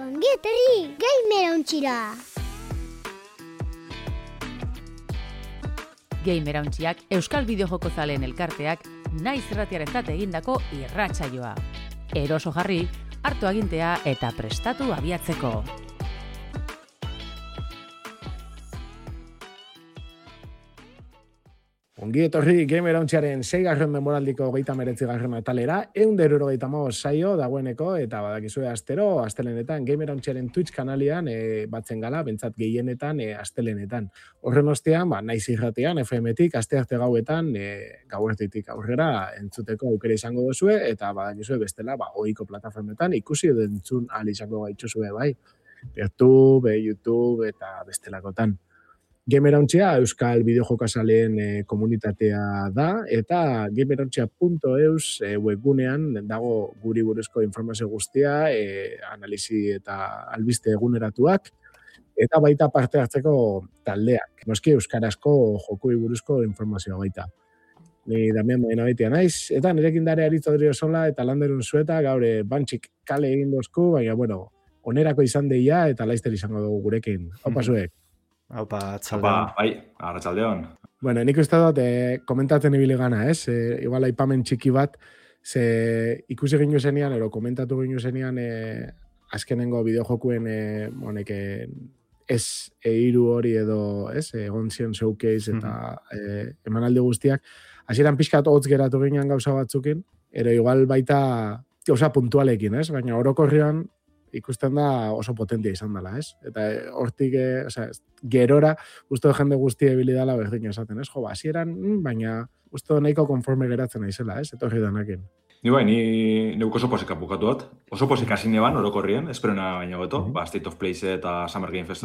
Ongi etorri, Gamerauntxira! Gamerauntxiak Euskal Bideojoko zaleen elkarteak naiz irratiarentzat egindako irratsaioa. Eroso jarri, hartu agintea eta prestatu abiatzeko. Ongi etorri Gamerauntxiaren 6. denboraldiko 39. atalera, 175 saio dagoeneko, eta badakizue astelenetan Gamerauntxiaren Twitch kanalian batzen gala, bentsat gehienetan astelenetan. Horren ostean, naiz irratean, FM-tik, astearte gauetan, gauertitik aurrera entzuteko aukera izango duzue, eta badakizue bestela, ohiko plataformetan ikusi edo entzun ahal izango gaituzue bai. YouTube eta bestelakotan. Gamerauntxia Euskal Bideojokazaleen komunitatea da, eta gamerauntxia.eus webgunean dago guri buruzko informazio guztia, analisi eta albiste eguneratuak, eta baita parte hartzeko taldeak. Noski euskarazko jokui buruzko informazioa baita. Ni Damian Baina baitia naiz, eta nirekin dare Aritz Odriozola eta Landerun Zueta, gaur bantxik kale egin dozku, baina onerako izan deia eta laizter izango dugu gurekin. Opa zuek. Aupa, atzaldeon. Bai, arratzaldeon. Bueno, nik uste dut, komentatzen ibili gana, ez? Igual aipamen txiki bat, ze ikusi ginu zenian, ero komentatu ginu zenian, azkenengo bideojokuen, hiru hori edo, ez? Egon zion showcase eta emanaldi guztiak. Hasieran pixkat hotz geratu ginean gauza batzukin, ero igual baita gauza puntualekin, ez? Baina orokorrian, ikusten da oso potentia izan dela, ez? Eta hortik, gerora, uste jende guztia ebili dela berdin esaten, ez? Hasieran, baina uste nahiko konforme geratzen naizela, ez? Eta hori danakin. Ni oso posik apukatu dut. Oso posik hasine ban, orokorrien, esperona baina goto, State of Play eta Summer Game Fest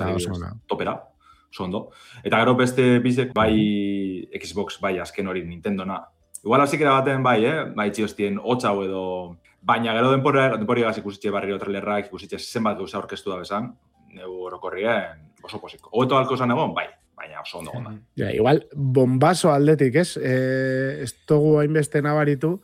topera, oso ondo. Eta gero beste bizek, bai Xbox, bai azken hori Nintendona. Igual hasikera baten bai txiostien hotxau edo. Baina gero denporiagaz ikusitxe barrio trailerrak, ikusitxe zenbat gauza aurkeztu da bezan, neu orokorrien oso posiko. Hobeto halko esan egon, bai, baina oso ondo gonda. Igual, bombazo aldetik, ez? Ez dugu hainbeste nabaritu,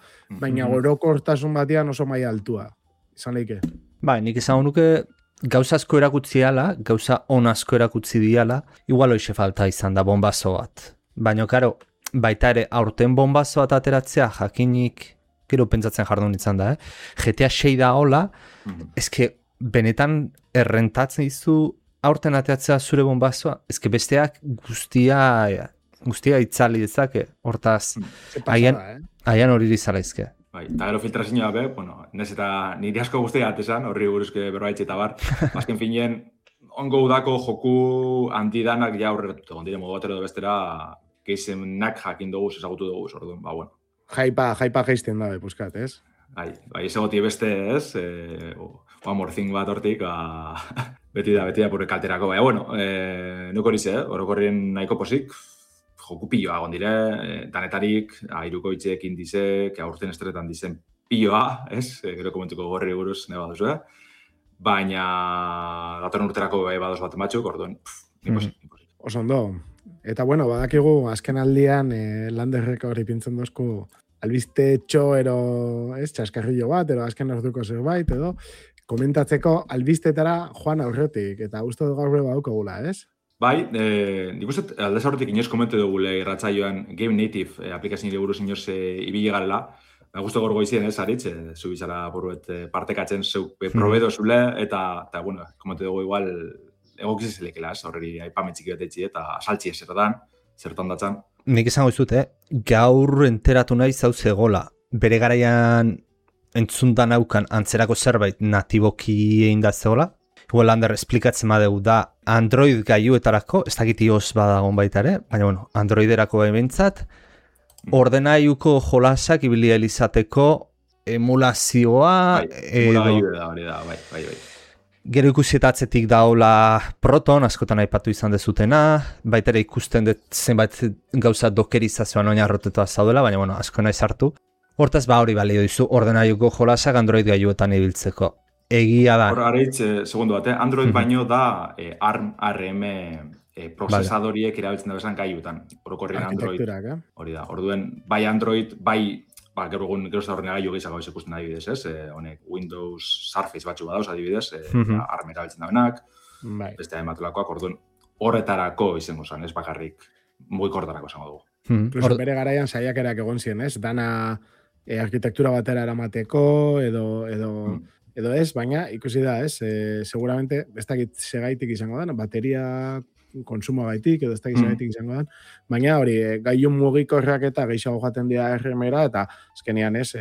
baina orokortasun batian oso maila altua. Izan leike. Bai, nik izan nuke gauza asko erakutzi diala, gauza on asko erakutzi diala, igual hoxe falta izan da bombazo bat. Baina, karo, baita ere, aurten bombazo bat ateratzea jakinik gero pentsatzen jardun izan da, GTA 6 da hola, ezke benetan errentatzen dizu aurten ateatzea zure bombazoa, ezke besteak guztia itzali dezake, hortaz, aian hori dizala izke. Bai, eta gero filtrazioa be, nez eta niri asko guztia atesan, horri buruzke berbaitxe eta bar, azken finien, ongo udako joku antidanak ja aurreratutu, ondire modu batero bestera, geizenak jakin dugu, ezagutu dugu, orduan, bueno. Jaipa geizten dabe, puskat, ez? Bai, ez egoti beste, ez? One more thing bat hortik, beti da pure kalterako. Baina, bueno, nuko horize, orokorrien nahiko posik, joku pilloa gondire, danetarik, airuko itxeekin dizek, aurten estretan dizen pilloa, ez? Gero komentuko gorri buruz, neba duzu, baina datorren urterako badoz bat batzuk, orduan, ni posik. Oso ondo. Eta bueno, badakigu azken aldian Landerreka hori pintzen dozku albiste txo txaskarrillo bat, azken orduko zerbait, edo komentatzeko albistetara joan aurretik, eta uste dugu gaur badukagula, ez? Bai, nik uste aldez aurretik inoz komentu dugule irratzaioan Game Native aplikazioa buruz inoz ibili garela, guztu gorgo izien ez, Aritz, zu bizala buruet partekatzen zeuk probedo zule, eta bueno, komentu dugu igual egokiz zelekela, horreri aipametxiki betetxi eta saltzi zertan datzan. Nik esango izut, gaur enteratu nahi zauze gola. Bere garaian entzundan aukan antzerako zerbait natiboki egin da zegoela. Igual Lander esplikatzen badeu da Android gaiuetarako, ez dakit iOS badagon baita ere, baina bueno, Androiderako behintzat, ordenaiuko jolasak ibili izateko emulazioa... Hori da, bai. Gero ikusietatzetik daola Proton, askotan aipatu izan dezutena, baita ere ikusten dut zenbait gauza dokerizazioan oinarrotetua zaudela, baina bueno, asko nahi sartu. Hortaz hori balio dizu ordenaiuko jolasak Android gaiuetan ibiltzeko. Egia da. Aritz, segundu bat, Android baino da ARM prozesadoriek erabiltzen da bezan gaiuetan. Orokorrien Android. Hori da, orduen, bai Android, bai gero ez da horren gailu gehiago ikusten adibidez, ez? Honek Windows Surface batzu badauz adibidez, armera biltzen dabenak, beste ematulakoak, orduan horretarako izango zen, ez bakarrik mugikortarako izango dugu. Incluso bere garaian saiakerak egon ziren, ez? Dana arkitektura batera eramateko edo ez, baina ikusi da, ez? Seguramente, ez dakit segaitik izango da, bateria konsumo gaitik, edo ez dakit segaitik izango da, baina hori, gailun mugikorrak eta gehiago jaten dira RM-era, eta azkenean, ez?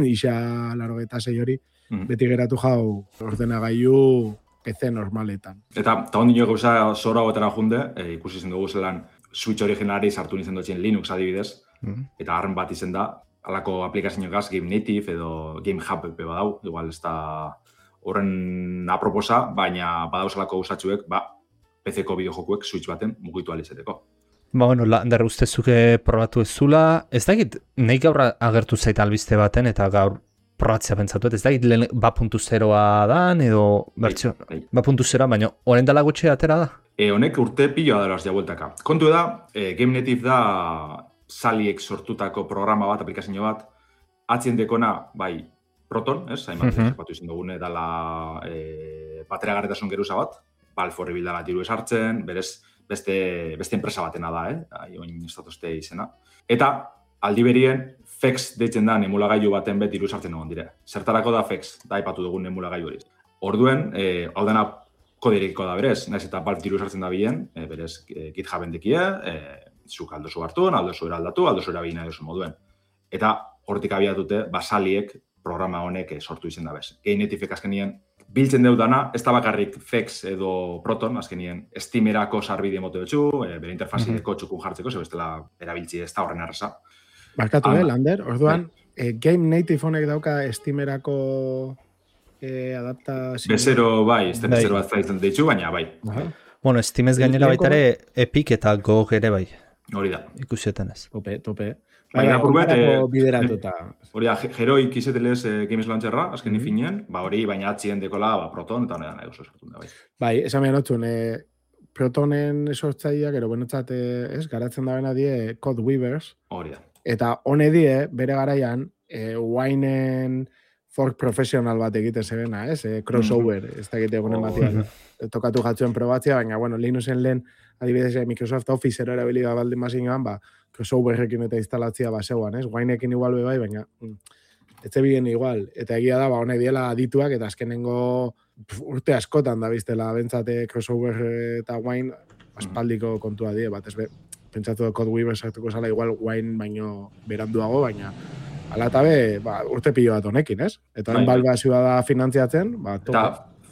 Isa 86 hori, beti geratu jau ordenagailu PC normaletan. Eta ondino gauza zora gotera junde, ikusi zen dugu zelan Switch originalari sartu nintzen dutxen Linux adibidez, eta harren bat izen da, alako aplikazio gaz Game Native edo Game Hub badau, igual ez da horren aproposa, baina badauzalako usatxuek, PC-ko bideojokuek Switch baten mugitu alizeteko. Bueno, Lander ustezuke probatu ez zula, ez dakit, nahi gaur agertu zaita albiste baten, eta gaur probatzea pentsatu, ez dakit lehen 2.0a dan, edo bertxo, 2.0a, baina horren dala gutxe atera da? Honek urte piloa dara ja bueltaka. Kontu da, Game Native da Saliek sortutako programa bat, aplikazio bat, atzien dekona, bai, Proton, ez? Hainbat ezapatu izan dugune dala bateragarretasun geruza bat, Valve horri bildala diru esartzen, berez beste enpresa batena da, oin estatuzte izena. Eta, aldi berien, FEX deitzen da emulagailu baten bet diru esartzen egon dire. Zertarako da FEX, da aipatu dugun emulagailu hori. Orduen, hau dena koderekiko da berez, naiz eta Valve diru esartzen da bien, berez GitHuben dekie, zuk aldozu hartu, aldozu eraldatu, aldozu erabina edozu moduen. Eta hortik abiatute, Saliek programa honek sortu izen da bez. Game Native azkenien biltzen deudana, ez da bakarrik FEX edo Proton, azkenien Steamerako sarbide mote betxu, bere interfazideko txukun jartzeko, ze bestela erabiltzi ez da horren arrasa. Barkatu, Lander, orduan, Game Native honek dauka Steamerako adaptazio... Bezero, bai, ez da bezero bat zaitzen deitxu, baina bai. Bueno, Steamez gainera baita ere Epic eta GOG ere bai. Hori da. Ikusietan ez. Tope. Baina, bideratuta. Hori da, Heroik izetelez Games Launcherra, azken ifinien, hori baina atzien dekola Proton eta honetan edo sortun da bai. Bai, esan behar notzun, Protonen sortzaileak, ero benotzat, garatzen da bena die Code Weavers. Hori da. Eta hone die, bere garaian, Winen fork profesional bat egiten zebena, crossover, ez da egite egunen batian. Tokatu jatzuen probatzea, baina, bueno, Linuxen lehen, adibidez, Microsoft Office erabili da baldin mazin ba, crossoverrekin eta instalatzia baseuan, Wineekin igual bai, baina ez zebien igual. Eta egia da, honek diela adituak, eta azkenengo urte askotan da biztela bentsate crossover eta Wine aspaldiko kontua die, bat ez pentsatu Code Weaver sartuko zala igual Wine baino beranduago, baina ala eta urte pilo bat honekin, ez? Eta hori balbazioa da finantziatzen, topa. Eta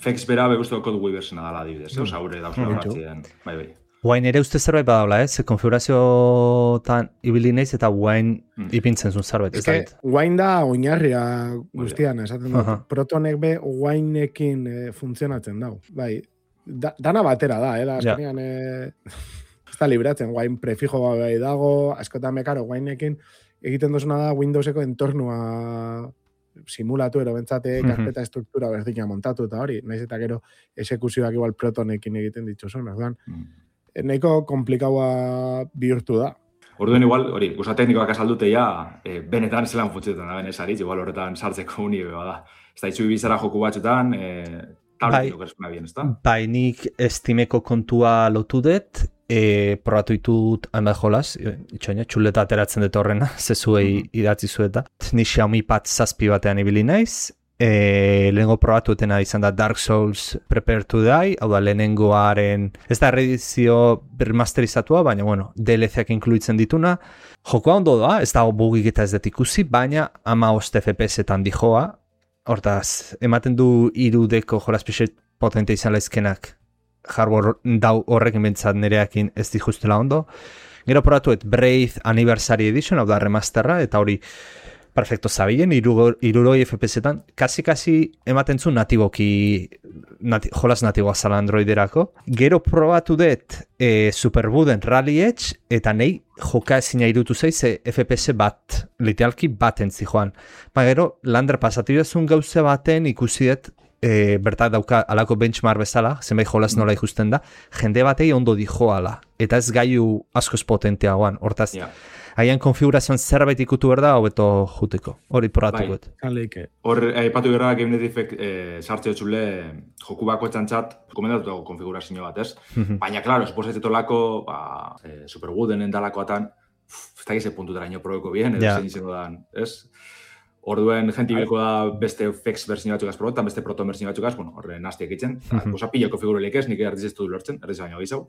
FEX bera beguztu Code Weaver zena dala adibidez, oza, haure dauzela batzien, bai. Wine ere uste zerbait badaula, konfigurazioetan ibili naiz eta Wine ipintzen zuen zerbait. Wine da oinarria guztian, esaten dut. Protonek be Wineekin funtzionatzen dau. Bai, dana batera da, da azkenean ez da libratzen, Wine prefijo bai dago, askotan mekaro Wineekin egiten duzuna da Windowseko entornua simulatu, ero bentsate karpeta estruktura berdina montatu eta hori, naiz eta gero esekuzioak igual Protonekin egiten dituzun, orduan. Nahiko komplikaua bihurtu da. Orduen igual, hori, guza teknikoak azaldute ja, benetan zelan funtzetan da benesaritz, igual horretan sartzeko uni da. Ez da, itxu ibizara joku batxutan, tabletiko gerezpuna bien, ez da? Bai, nik Steameko kontua lotu dut, probatu ditut hainbat jolas, itxoina, txuleta ateratzen dut horrena, zezuei idatzi zueta. Ni Xiaomi Pad 7 batean ibili naiz, lehenengo probatu etena izan da Dark Souls Prepare to Die, hau da lehenengoaren, ez da reedizio rematerizatua, baina bueno, DLC-ak inkluitzen dituna. Jokoa ondo da, ez dago bugik eta ez dut ikusi, baina 15 FPS-etan dijoa, hortaz, ematen du 3Dko jolas pixet potente izan laizkenak hardware dau horrekin bentsat nereakin ez dijustela ondo. Gero probatuet Braid Anniversary Edition, hau da remasterra, eta hori perfecto zabilen, 60 FPS-etan, kasi ematen zu natiboki, jolas natiboa zala Androiderako. Gero probatu dut Superbuden Rally Edge, eta nahi joka ezina irutu zeiz FPS bat, literalki bat entzi joan. Gero, Lander pasatibazun gauze baten ikusi dut bertak dauka alako benchmark bezala, zenbait jolas nola ikusten da, jende batei ondo dijoala, eta ez gaiu askoz potenteagoan, hortaz, haian konfigurazioan zerbait ikutu berda, hobeto juteko, hori porratuko. Hor, aipatu gara GameNetifek sartze txule joku bako txantxat, komendatu konfigurazio bat, ez? Baina, klaro, suposatzetolako, supergoodenen dalakoatan, ez da gize puntutara ino probeko bien, edo zein izango dan, ez? Orduen, jenti bilko da beste FX berzio batzukaz probetan, beste Proton berzio batzukaz, bueno, horre naztiak itzen. Osa pila konfigurelik ez, nik erdiz ez du lortzen, erdiz baino gizau.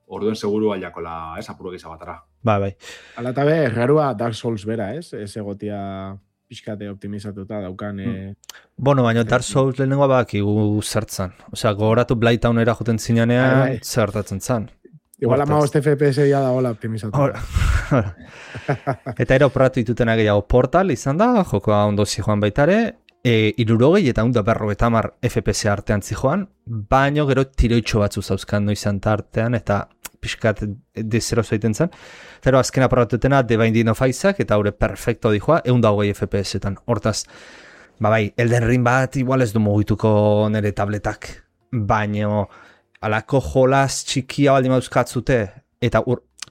Orduen seguru aldakola, ez, apuro gizau batara. Bai. Ala eta garua Dark Souls bera, ez? Ez egotia pixkate optimizatuta daukan... Bueno, baina Dark Souls lehenengoa bakigu zertzan. Osea, gogoratu Blighttownera joten zinenean, zertatzen zan. Igual ama hoste FPS ya da hola optimizatu. Eta ero operatu ditutena gehiago Portal izan da, jokoa ondo zijoan baitare, 60 eta 150 FPS artean zijoan, baino gero tiroitxo batzu zauzkan izan tartean, eta pixkat dezero zaiten zen. Zero azkena probatutena The Binding of Isaac, eta haure perfecto dijoa, 120 FPS-etan. Hortaz, bai, Elden Ring bat igual ez du mugituko nire tabletak, baino... Alako jolas txikia baldin mauzkatzute, eta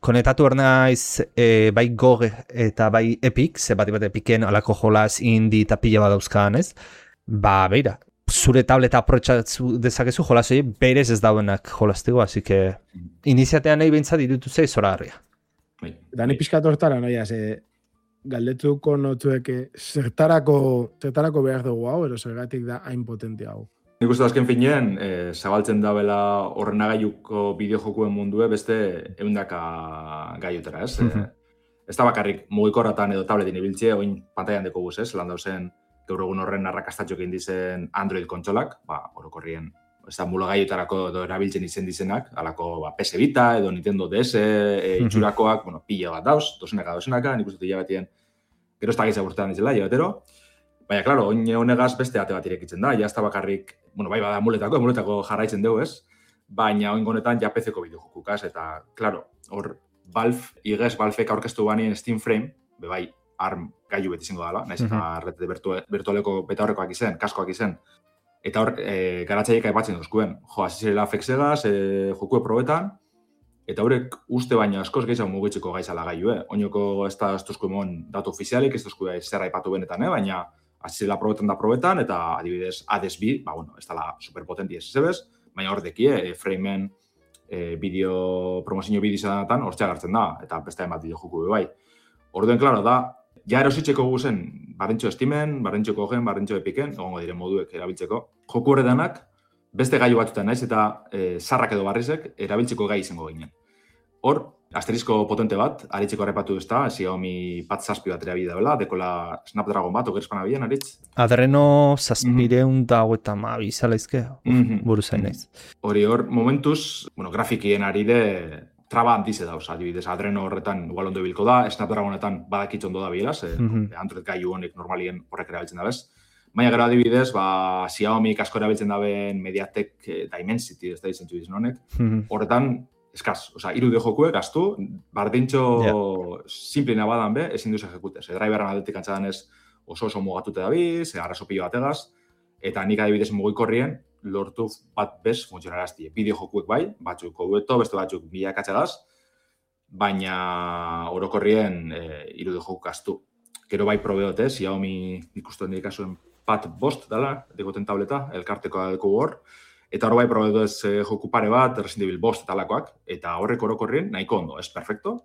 konetatu ernaiz bai GOG eta bai Epic, ze bat Epicen alako jolas indie eta pila bat dauzkaan, ez? Ba, beira, zure tableta aprotxatzu dezakezu jolas hori berez ez dauenak jolastego, así que iniziatean nahi bintzat irutu zei zora harria. Dani pixkat hortara, noia, ze galdetuko notueke zertarako behar dugu hau, ero zergatik da hain potente hau. Nik uste azken finean, zabaltzen dabela horrenagailuko bideojokuen mundue beste eundaka gaiotera, ez? Ez da bakarrik mugikorratan edo tabletin ibiltzie, oin pantailan deko guz, ez? Lan dauzen, gaur egun horren arrakastatxok indizen Android kontsolak, orokorrien, ez da mula gaiotarako edo erabiltzen izen dizenak, alako PS Vita edo Nintendo DS, itxurakoak, pila bat dauz, dozenaka, nik uste hilabetien, gero ez da gizak urtean dizela, hilabetero. Baina, klaro, honegaz beste ate bat irekitzen da, jazta bakarrik, bai bada muletako jarraitzen dugu, ez? Baina, oingonetan, ja PC-ko bideojokukaz, eta, klaro, hor, Valvek aurkeztu banien Steam Frame, bai, ARM gailu beti zingo dala, nahiz eta rete virtualeko beta horrekoak izen, kaskoak izen, eta hor, garatzaiek aipatzen duzkuen, azizela FX-egaz, jokue probetan, eta horrek uste baina askoz gehiago mugitzeko gaizala gailu, Oinoko ez da duzku emon datu ofizialik, ez duzku zer aipatu benetan, baina azizela probetan, eta adibidez Hades B, ez dala superpotenti ez ezebez, baina hor dekie, frameen promozio bideo izanatan hortzea gartzen da, eta beste emat bideo joku bai. Orduen, klaro, da, ja erositzeko guzen, barrentxo Steamen, barrentxo Gogen, barrentxo Epiken, egongo diren moduek erabiltzeko, joku horretanak, beste gailu batzutan naiz, eta zarrak edo barrizek erabiltzeko gai izango ginen. Hor, asterisko potente bat, aritzeko arrepatu ez da, Xiaomi Pad 7 bat erabili dabela, dekola Snapdragon bat, okerzpana bilen, aritz? Adreno 750 izala izke, buru zain naiz. Hor, momentuz, grafikien ari de traba handize dauz, adibidez, Adreno horretan igual ondo bilko da, Snapdragonetan badakitz ondo da bilaz, Android gailu honek normalien horrek erabiltzen da bez. Baina gero adibidez, Xiaomi asko erabiltzen daben Mediatek Dimensity, ez da izentzu dizun honek, horretan, eskaz, irude jokue, gaztu, bardintxo simplina badan be, ezin duz ejekutez. Driveran aldetik antzadan ez oso mugatute dabiz, arraso pilo bategaz, eta nik adibidez mugikorrien lortu bat bez funtzionarazti. Bideo jokuek bai, batzuk hobeto, beste batzuk bilakatzegaz, baina orokorrien irude joku gaztu. Gero bai probeote, Xiaomi ikusten dikasuen Pad 5 dela, dekoten tableta, elkartekoa deko hor, eta hor bai probetu ez joku pare bat, Resident Evil 5 talakoak, eta horrek orokorrien nahiko ondo, ez perfecto,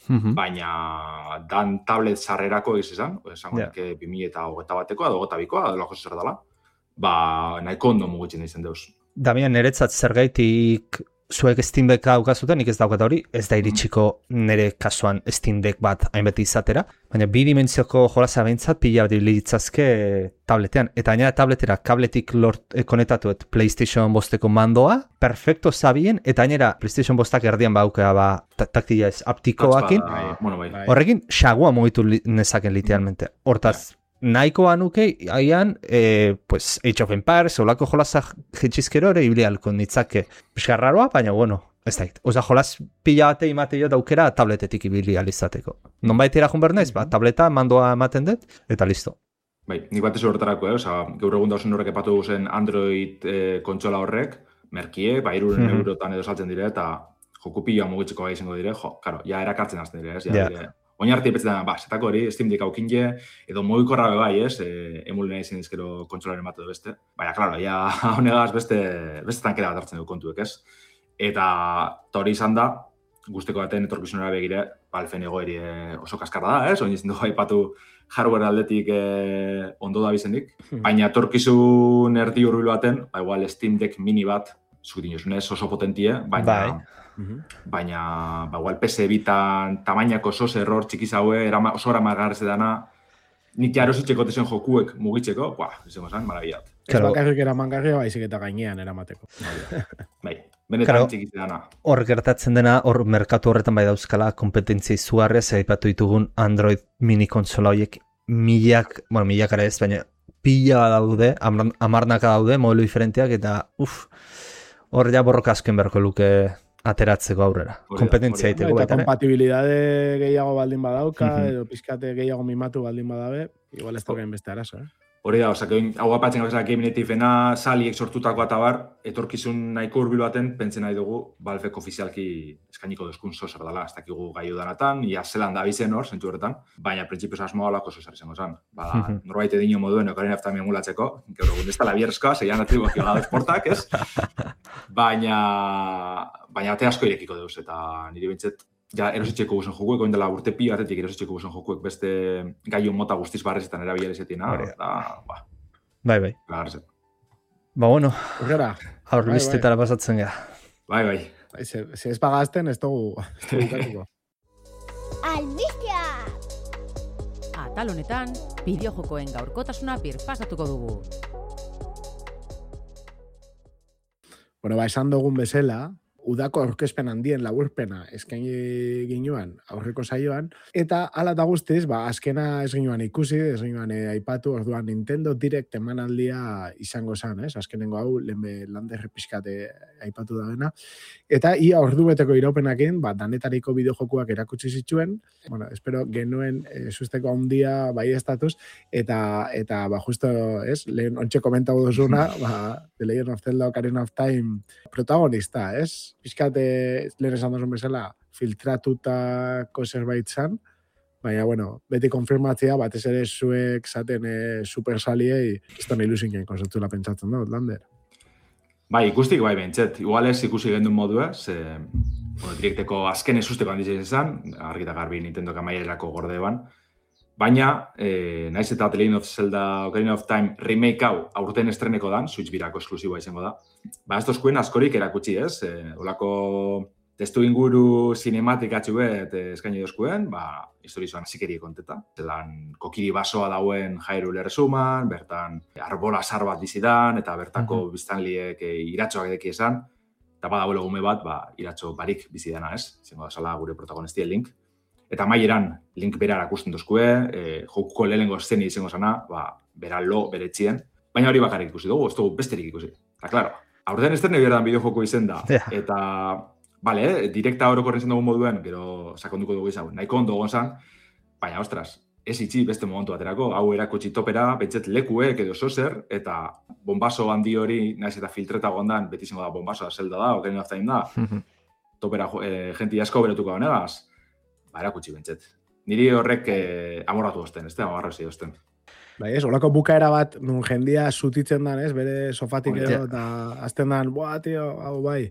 baina dan tablet sarrerako izan, esango nik 2021 bateko, edo 22koa, edo lako zer dela, nahiko ondo mugitzen izan deuz. Damian, niretzat zergaitik zuek Steam Deck daukazuten, nik ez daukat hori, ez da iritsiko nire kasuan Steam Deck bat hainbeti izatera, baina bi dimentsioko jolasa behintzat pila bat litzazke tabletean, eta gainera tabletera kabletik konetatuet PlayStation 5-eko mandoa, perfecto zabien, eta gainera PlayStation 5-ak erdian baukea taktila ez aptikoakin, horrekin xagua mugitu nezaken literalmente. Hortaz, nahikoa nuke, haian, Age of Empires, olako jolazak jetxizkero ere iblialko nitzake piskarraroa, baina bueno, ez da. Oza, jolaz pila bate imate jo daukera tabletetik ibili alizateko. Non baitera jun bernaiz, tableta mandoa ematen dut, eta listo. Bai, nik batez horretarako, gaur egun dauzen horrek epatu zen Android kontsola horrek, merkie, 300 eurotan edo saltzen dire, eta joku pila mugitzeko gai izango dire, karo, ja erakartzen azten dire, ez? Oin arte epetzetan, zetako hori, Steam Deck aukinje, edo mugikorra bai, ez? Emulen izan dizkero kontsolaren bat edo beste. Baina, klaro, ja, honegaz beste tankera bat hartzen du kontuek, ez? Eta hori izan da, guzteko baten etorkizunera begire, Valven egoeri oso kaskarra da, ez? Oin izan dugu aipatu hardware aldetik ondo da bizenik. Baina etorkizun erdi hurbil baten, igual Steam Deck mini bat, zukitin josunez oso potentie, baina igual PS bitan tamainako oso error txikiz haue, oso eramagarrez edana, nik jaro zitxeko tezen jokuek mugitzeko, izango zen, marabillat. Ez bakarrik eramangarria, baizik eta gainean eramateko. Bai, benetan txikiz edana. Hor gertatzen dena, hor merkatu horretan bai dauzkala kompetentzia izugarria, aipatu ditugun Android mini konsola horiek milakara ez, baina pila daude, amarnaka daude, modelo diferenteak, eta hor ja borroka asken berko luke ateratzeko aurrera. Kompetentzia egiteko baita. Eta kompatibilidade gehiago baldin badauka, edo pizkate gehiago mimatu baldin badabe, igual ez daukain beste arazo, Hori da, hau apatzen gauza Game Nativena, saliek sortutako eta bar, etorkizun nahiko hurbil baten, pentzen nahi dugu, Valvek ofizialki eskainiko duzkun sozer dela, ez dakigu gai udanatan, ia zelan da bizen hor, zentu horretan, baina printzipioz asmoa olako sozer izango zen. Norbait edino moduen, Ocarina of Time emulatzeko, gaur egun ez da labierezkoa, zeian atribuak jogadoz portak, ez? Baina ate asko irekiko deuz, eta niri bintzet, ja, erositxeko guzen jokuek, oin dela urte pi batetik erositxeko guzen jokuek beste gaion mota guztiz barrezetan erabilarizetina. Bai. Bueno, albistetara pasatzen gara. Bai. Se ez pagazten, ez dugu ikatuko. Albistea! Atal honetan, bideojokoen gaurkotasuna birpasatuko dugu. Bueno, esan dugun bezala, udako aurkezpen handien laburpena eskaini ginuan aurreko saioan, eta hala eta guztiz, azkena ez ginuan ikusi, ez ginuan aipatu, orduan Nintendo Direct emanaldia izango zen, ez? Azkenengo hau, lander pixkate aipatu da dena. Eta ia ordubeteko iraupenakin, danetariko bideojokuak erakutsi zituen, espero genuen susteko handia bai estatuz, eta justo, ez? Lehen ontxe komentago duzuna, The Legend of Zelda Ocarina of Time protagonista, ez? Pizkate, lehen esan duzun bezala, filtratutako zerbait zan, baina, beti konfirmatzea, batez ere zuek zaten supersaliei, izan ilusinen konzertzula pentsatzen da, Lander. Bai, ikustik bai bentzet. Igual ez ikusi gendun modua, direkteko azken esusteko handitzen izan, argita garbi Nintendo kamaierako gorde ban, baina, naiz eta The Legend of Zelda Ocarina of Time remake hau aurten estreneko dan, Switch birako esklusiboa izango da. Ez tozkuen askorik erakutsi ez, olako testu inguru cinematikatxu bet eskaini dozkuen, historizoan zikerie konteta. Zelan kokiri basoa dauen Hyrule Erresuman, bertan arbola sar bat bizidan, eta bertako biztanliek iratxoak edeki esan, eta badauelo gume bat, iratxo barik bizidana ez, zengo da sala gure protagonistia Link. Eta maieran Link bera erakusten dozkue, jokuko lehenengo eszeni izango zana, bera lo, bere etxien, baina hori bakarrik ikusi dugu, ez dugu besterik ikusi. Eta, klaro, aurten estrene berdan bideojoko izen da, eta, direkta orokorren zen dugun moduen, gero sakonduko dugu izan, nahiko ondo gonzan, baina, ostras, ez itxi beste momentu baterako, hau erakutsi topera, betxet lekuek edo zozer, eta bombaso handi hori, naiz eta filtreta gondan, beti izango da bombasoa Zelda da, Ocarina of Time da, topera jenti asko beretuko honegaz, erakutsi bentset. Niri horrek amorratu osten, ez da, amarrazi osten. Bai, ez, olako bukaera bat, nun jendia zutitzen dan, ez, bere sofatik edo, eta azten dan, tio, hau bai.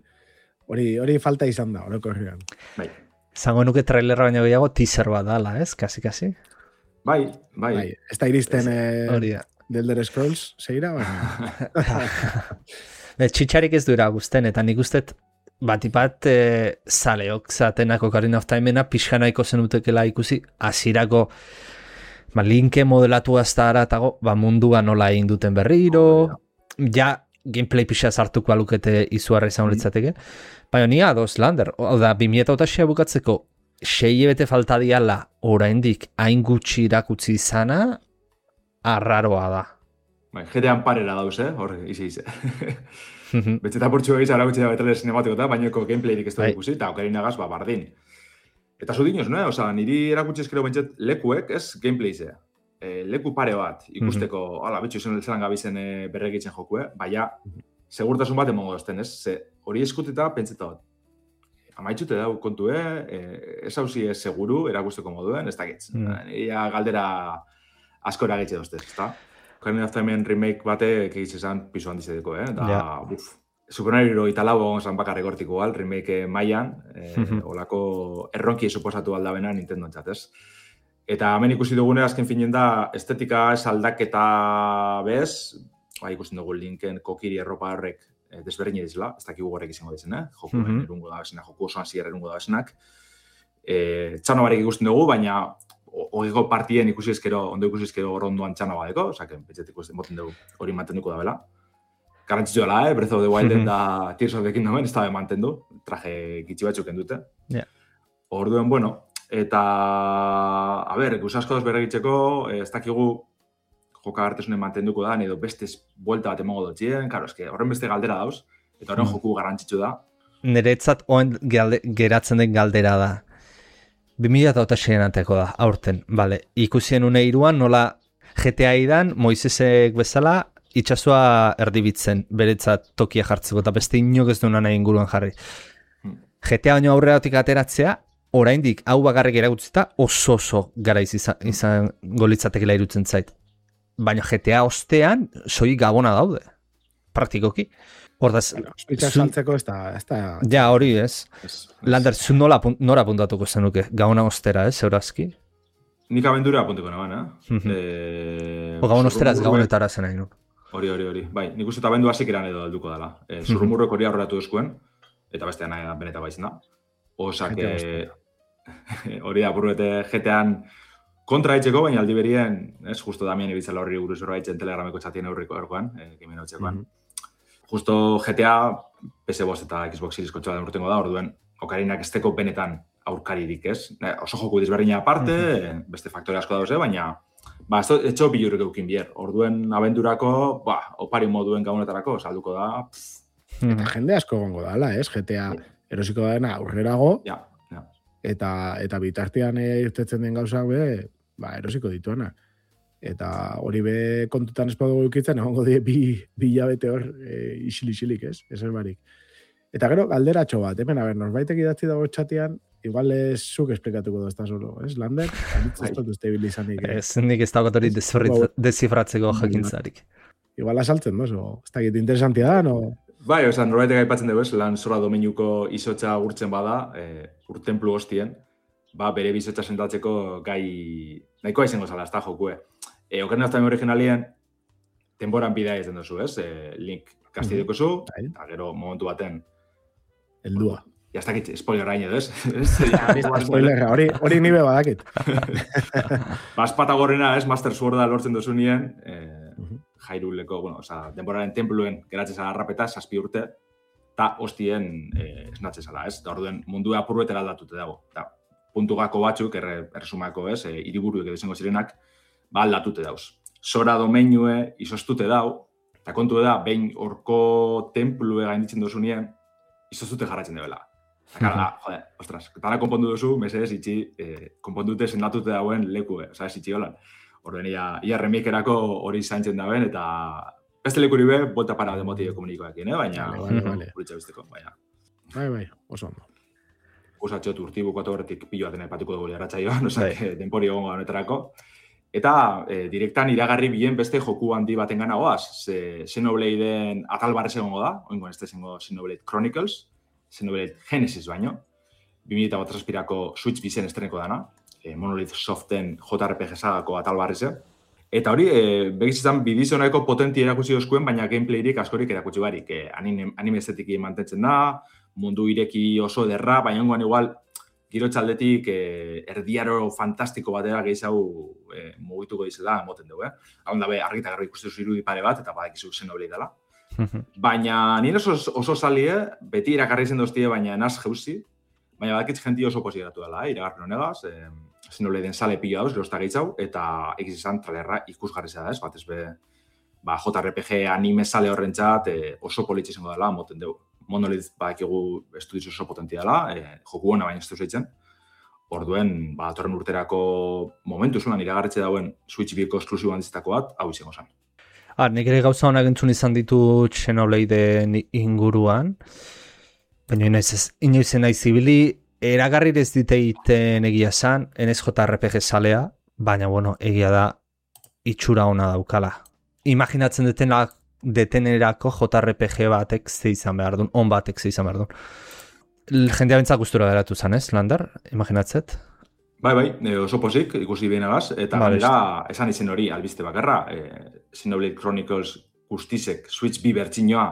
Hori falta izan da, horreko herrian. Bai. Zango nuke trailerra baino gehiago teaser bat dala, ez, kasi. Bai. Ez da iristen The Elder Scrolls, zeira, baina. Txitxarik ez duera guzten, eta nik ustet, batipat zaleok zatenak Ocarina of Timena pixkanaiko zenutekela ikusi, hasierako linke modelatu azta aratago, mundua nola egin duten berriro, ja gameplay pixa sartuko alukete izuarra izan litzateke, baina ni ados Lander, oda 2006 bukatzeko 6 bete falta diala oraindik hain gutxi irakutsi izana, arraroa da. Jetean parera dauz, hor izi. Betxeta portxu egiz aragutxe da betale sinematiko eta bainoko gameplayrik ez da ikusi, eta Ocarina gaz, bardin. Eta zu dinoz, niri erakutsi eskero bentset lekuek ez gameplay zea. leku pare bat ikusteko, ala, bitxu zelan gabizen berregitzen jokue, baina segurtasun bat emongo dozten, ez? Ze hori eskuteta pentseta bat. Amaitzute dau kontu, ez hauzi ez seguru, erakusteko moduen, ez dakitz. Ia galdera asko eragitze doztez, ez da? Ocarina of Time remake batek egitzesan pisu handizedeko, da, Super Mario italau zan bakarrik hortiko gal, remake mailan, olako erronki suposatu aldabena Nintendo entzatez. Eta hemen ikusi dugune, azken finen da, estetika ez aldaketa bez, ikusten dugu Linken kokiri erropa horrek desberdin edizela, ez dakigu horrek izango dizen, joku erungo da besenak, joku osoan zier erungo da besenak. Txano barek ikusten dugu, baina hogeko partien ikusi ezkero, ondo ikusi ezkero rondoan txano badeko, osaken, pentsetik moten dugu hori mantenduko da bela. Garantzitzu dela, Breath of the Wilden da Tears of the Kingdomen, ez da mantendu, traje gitxi batzuk endute. Orduen, bueno, eta, a ber, gusasko doz berregitzeko, ez dakigu joka gartesunen mantenduko da, edo beste buelta bat emongo dutxien, karo, eske horren beste galdera dauz, eta horren joku garantzitzu da. Niretzat oen geratzen den galdera da. 2006an ateko da, aurten, bale. Ikusien une iruan, nola GTA idan, Moisesek bezala, itxasua erdibitzen, beretzat tokia jartzeko, eta beste inok ez duena nahi inguruan jarri. GTA baino aurreratik ateratzea, oraindik hau bakarrik eragutzita oso garaiz izan golitzatekela irutzen zait. Baina GTA ostean, soi gabona daude, praktikoki. Hordaz, Switcha saltzeko ez da... Ja, hori ez. Lander, zu nora puntatuko zenuke, gabona ostera, ez, eurazki? Nik abendura apuntiko naban, Gabon ostera ez gabonetara zen nahi, Hori. Bai, nik uste eta abendu hasik eran edo alduko dela. Zurrumurrek hori aurreratu duzkuen, eta bestean nahi beneta baizin da. Osak, hori da, burrete GTA-an kontra haitzeko, baina aldi berien, ez, justo Damien ibitzela horri buruz horra haitzen telegrameko txatien aurriko erkoan, kimen hotxekoan. Justo GTA, PS5 eta Xbox Series kontsola den urtengo da, orduen, Okarinak esteko benetan aurkaririk, ez? Oso joku dizberdina aparte, beste faktore asko dauz, baina etxo bilurrik eukin bier. Orduen abendurako, opari moduen gabonetarako, salduko da. Eta jende asko gongo dala, ez? GTA erosiko dena aurrerago, eta bitartean irtetzen den gauzak erosiko dituanak. Eta hori be kontutan espadugu eukitzen, egongo die bi hilabete hor isilik, ez? Ezer barik. Eta gero, galderatxo bat, hemen, norbaitek idatzi dago txatian, igual zuk esplikatuko dozta solo, ez? Lander, ez dut uste bilizanik. Ez, nik ez dagoet hori desifratzeko jakintzarik. Igual asaltzen dozo, ez dakit interesantia da, no? Bai, norbaitek aipatzen dugu, lan zora domeinuko izotza gurtzen bada, urtenplu hostien, bere bizotza sentatzeko gai nahikoa izango zala, ez da jokue. Ocarina of Time originalien, denboran bidea izan duzu, ez? Link kastideko zu, eta gero momentu baten. Eldua. Ja, ez dakit, spoiler hain edo, ez? Spoiler, hori nibe badakit. Bazpata gorrena, ez? Master Sworda lortzen duzu nien, jairuleko, denboraren templuen geratzen zala harrapeta, 7 urte, eta hostien esnatzen zala, ez? Da orduen mundua apurruetera aldatute dago. Puntu gako batzuk, erresumako, ez? Hiriburuek edo izango zirenak, aldatute dauz. Zora domeinue izostute dau, eta kontu da, behin horko templue gainditzen duzu nien, izostute jarratzen debela. Eta joder, ostras, tala konpondu duzu, mesedez, itxi, konpondute sendatute dauen leku, ez itxi holan. Orduen, ia remikerako hori zaintzen dauen, eta beste lekuri be, bolta para demotio komunikoak, baina, buritza bizteko, baina. Bai, oso ondo. Usatxot urtibuko horretik pilo baten aipatuko dugu erratxaioan, denpori egongo honetarako. Eta direktan iragarri bien beste joku handi baten gana goaz. Xenobladeen atal barrez egongo da, oingoan ez dezengo Xenoblade Chronicles, Xenoblade Genesis baino, 2008-ko Switch bizen estreneko dana, Monolith Soften JRPG sagako atal barreze. Eta hori, begizitzen bidizioneko potenti erakutsi dozkuen, baina gameplayrik askorik erakutsi barik. Anime estetiki mantentzen da, mundu ireki oso ederra, baina ongoan igual, giro txaldetik erdiaro fantastiko batera gehiago mugituko dizela, moten dugu, Hau da be, argita garro ikustu irudi pare bat, eta badakizu Xenoblade dela. Baina nire oso salie, beti irakarri zen doztie, baina naz jeuzi, baina badakitz jenti oso posideratu dela, iragarri honegaz, Xenobladeen sale pila dauz, gerozta gehiago, eta egiz izan tralerra ikusgarri da, ez? Batez be, JRPG anime sale horrentzat oso politxe izango dela, moten dugu. Monolith badakigu estudiz oso potentia dela, joku hona baina ez duz eitzen. Orduen, datorren urterako momentu zuenan iragarritze dauen Switch Biko esklusibo handizitako bat, hau izango zen. Nik ere gauza honak entzun izan ditu Xenoblade inguruan, baina inoiz nahi zibili, eragarri ez diteiten egia zan, NSJRPG salea, baina bueno, egia da itxura ona daukala. Imaginatzen detenerako JRPG batek ze izan behar duen, on batek ze izan behar duen. Jendea bentzak gustura geratu zan, ez, Lander? Imaginatzet? Bai, oso pozik, ikusi behinagaz, eta gainera esan izen hori albiste bakarra, Xenoblade Chronicles guztizek Switch B bertsinoa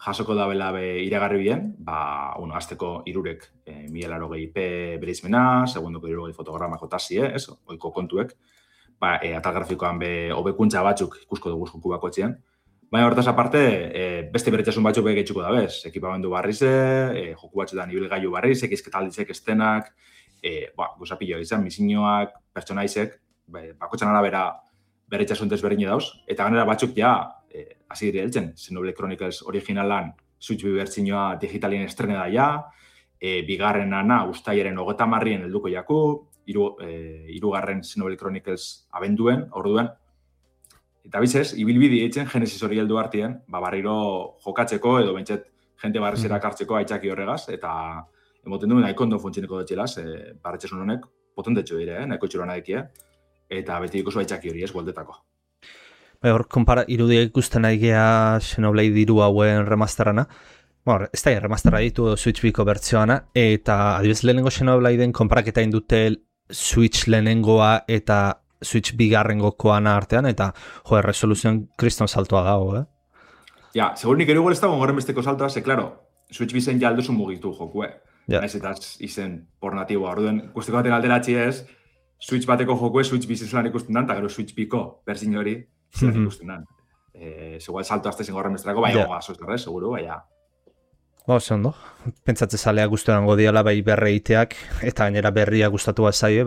jasoko dabela iragarri bien, azteko irurek 1080p bereizmena, segundoko 60 fotogramako tasi, oiko kontuek, atal grafikoan hobekuntza batzuk ikusko dugu joku bakotxean. Baina hortaz aparte, beste beretasun batzuk gehiago dabez, ekipamendu barrize, joku batzuetan ibilgailu barriz, ekizketaldizek estenak, guzapillo izan, misioak, pertsonaizek, bakotxan arabera beretasun desberdin dauz, eta ganera batzuk hasi dire heltzen, Xenoblade Chronicles originalan Switch B bertsinoa digitalien estrene da bigarrenana ustailaren 30 helduko jaku, hirugarren Xenoblade Chronicles abenduen, orduen. Eta bizez, ibilbidi eitzen Genesis hori heldu artien, barriro jokatzeko edo bentset jente barrizera kartzeko aitzaki horregaz, eta emoten duen nahiko ondo funtzioneko dutxelaz, barretxesun honek potentetxo dire, nahiko txuran adekie, eta beti ikuso aitzaki hori goldetako. Hor, irudia ikusten aigea Xenoblade 3 hauen remasterana. Ez da remastera ditu Switch Biko bertzioana, eta adibidez lehenengo Xenobladeen konparaketa indute Switch lehenengoa eta Switch bigarrengokoana artean, eta resoluzioan kriston saltoa dago, segur nik erugu ez dago gorren besteko saltoa, claro, Switch bizen ja alduzun mugitu joku, Ez eta izen por natiboa, orduen, guztiko baten alderatzi ez, Switch bateko joku Switch bizen zelan ikusten dan, eta gero Switch Biko berzin hori zelan ikusten dan. Segual salto azte zen gorren besterako, baina goga seguru, baina. Ondo. Pentsatze zalea guzturango diala bai berreiteak, eta gainera berria gustatu zaie,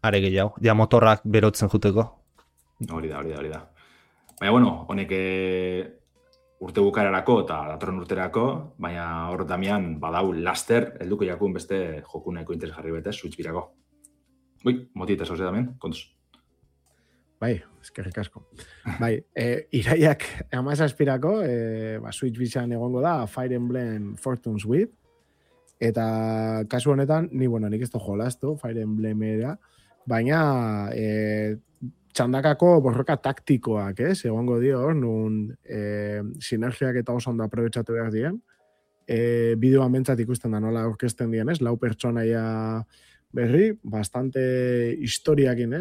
are gehiago. Motorrak berotzen juteko. Hori da. Baina, bueno, honek urte bukararako eta datorren urterako, baina hor Damian badau laster helduko jakun beste jokuneko interes jarri betez, Switch birako. Motita zauzea Damian, kontuz. Bai, eskerrik asko. Iraiak 17-pirako, Switch bizan egongo da Fire Emblem Fortune's With, eta kasu honetan, nik ez da jolaztu, Fire Emblemera, baina txandakako borroka taktikoak, egongo dio hor, nun sinergiak eta oso ondo aprobetxatu behar dien, bideoan bentsat ikusten da nola orkesten dien, 4 pertsonaia berri, bastante historiakin,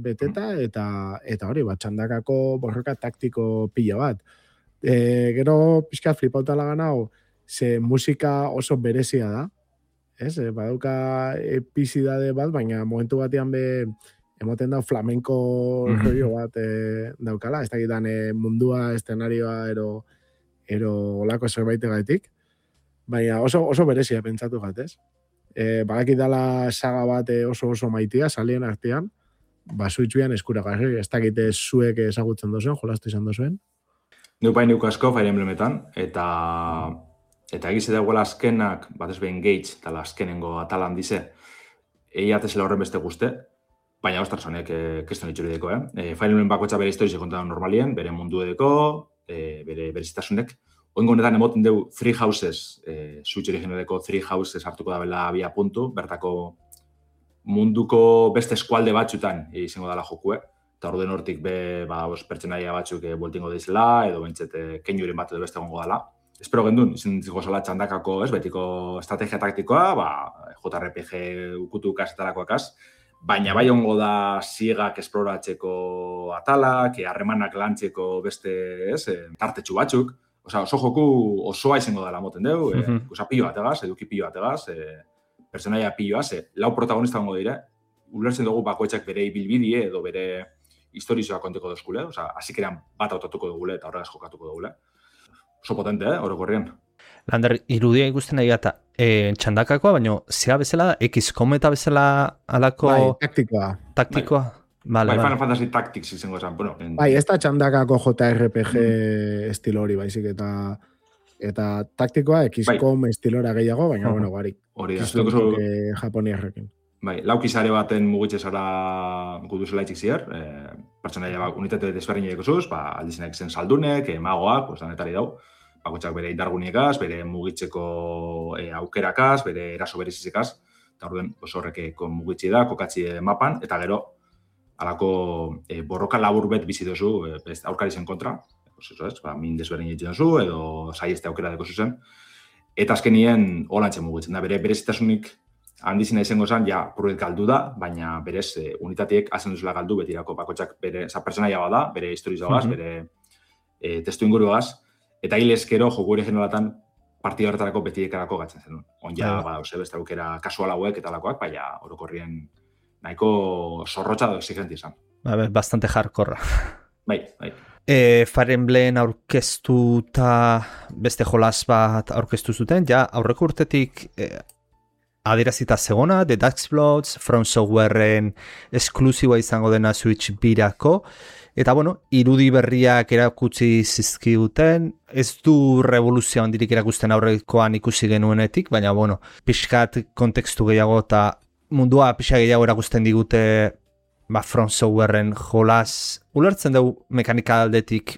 beteta, eta hori, txandakako borroka taktiko pila bat. Gero pixkat flipautala ganau, ze musika oso berezia da, badauka epizidade bat, baina momentu batean emoten da flamenko rollo bat daukala, ez dakitan mundua, eszenarioa, ero olako zerbaitegatik, baina oso berezia pentsatu gat, Badakit dala saga bat oso maitia, salien artean, Switchuan eskuragarri, ez dakite zuek ezagutzen dozuen, jolastu izan dozuen. Neupain asko Fire Emblemetan, eta egize dagoela azkenak, batez behin Engage, eta azkenengo atalan dize, eiatezela horren beste guzte, baina ostras honek keston itxuri deko, Fire Emblem bakotxa bere historize kontan normalien, bere mundu edeko, bere berizitasunek. Oingo honetan emoten dugu Three Houses, Switch originaleko Three Houses hartuko da bela abia puntu, bertako munduko beste eskualde batzutan izango dela jokue, eta orduen hortik pertsenaia batzuk bueltingo deizela, edo bentsete keinuren bat edo beste gongo dela. Espero gendun, izan ziko zala txandakako, betiko estrategia taktikoa, JRPG ukutu kasetarakoakaz, baina bai ongo da ziegak esploratzeko atalak, harremanak lantzeko beste tartetxu batzuk, oso joku osoa izango dela moten dugu, pilo bategaz, eduki pilo bategaz, personaia piloaz, 4 protagonista gongo dire, ulertzen dugu bakoitzak bere ibilbidie edo bere historizoa konteko dozkule, hasikeran bat autotuko dugule eta horregaz jokatuko dugule. Oso potente, orokorrien. Lander, irudia ikusten nahi gata, txandakakoa, baina zea bezala da, XCOM eta bezala alako... Taktikoa. Final Fantasy Tactics izango esan, bueno. Ez da txandakako JRPG estilo hori, baizik, eta taktikoa XCOM estilora gehiago, baina, bueno, barik. Hori da. Japoniarrekin. Bai, laukizare baten mugitze zara guduzela itxik zier, pertsonaia unitate desberdin egozuz, aldizenak zen saldunek, magoak, danetari dau, bakotxak bere indarguniekaz, bere mugitzeko aukerakaz, bere eraso berezizekaz, eta orduen horrek mugitzi da, kokatzi mapan, eta gero, alako borroka labur bet bizi dozu, aurkarizen kontra, min desberdin egiten dozu, edo saieste aukera deko zuzen, eta azkenien holantzen mugitzen da, bere berezitasunik handizina izango zen, ja, purret galdu da, baina berez unitateek hazen duzula galdu betirako bakotxak bere pertsonaia bada, bere historizagaz, bere testu inguruagaz, eta hilezkero joku ere generalatan partida horretarako betiekarako gatzen zen. Onja, beste aukera kasual hauek eta lakoak, baina orokorrien nahiko zorrotxa da exigenti izan. Bastante hardcore. Bai. Fire Emblem aurkeztuta beste jolas bat aurkeztu zuten, ja aurreko urtetik adierazita zegona, The Dark Bloods, From Softwareen esklusiboa izango dena Switch birako, eta irudi berriak erakutsi zizkiguten, ez du revoluzio handirik erakusten aurrekoan ikusi genuenetik, baina pixkat kontekstu gehiago eta mundua pixka gehiago erakusten digute From Softwareen jolas, ulertzen dugu mekanika aldetik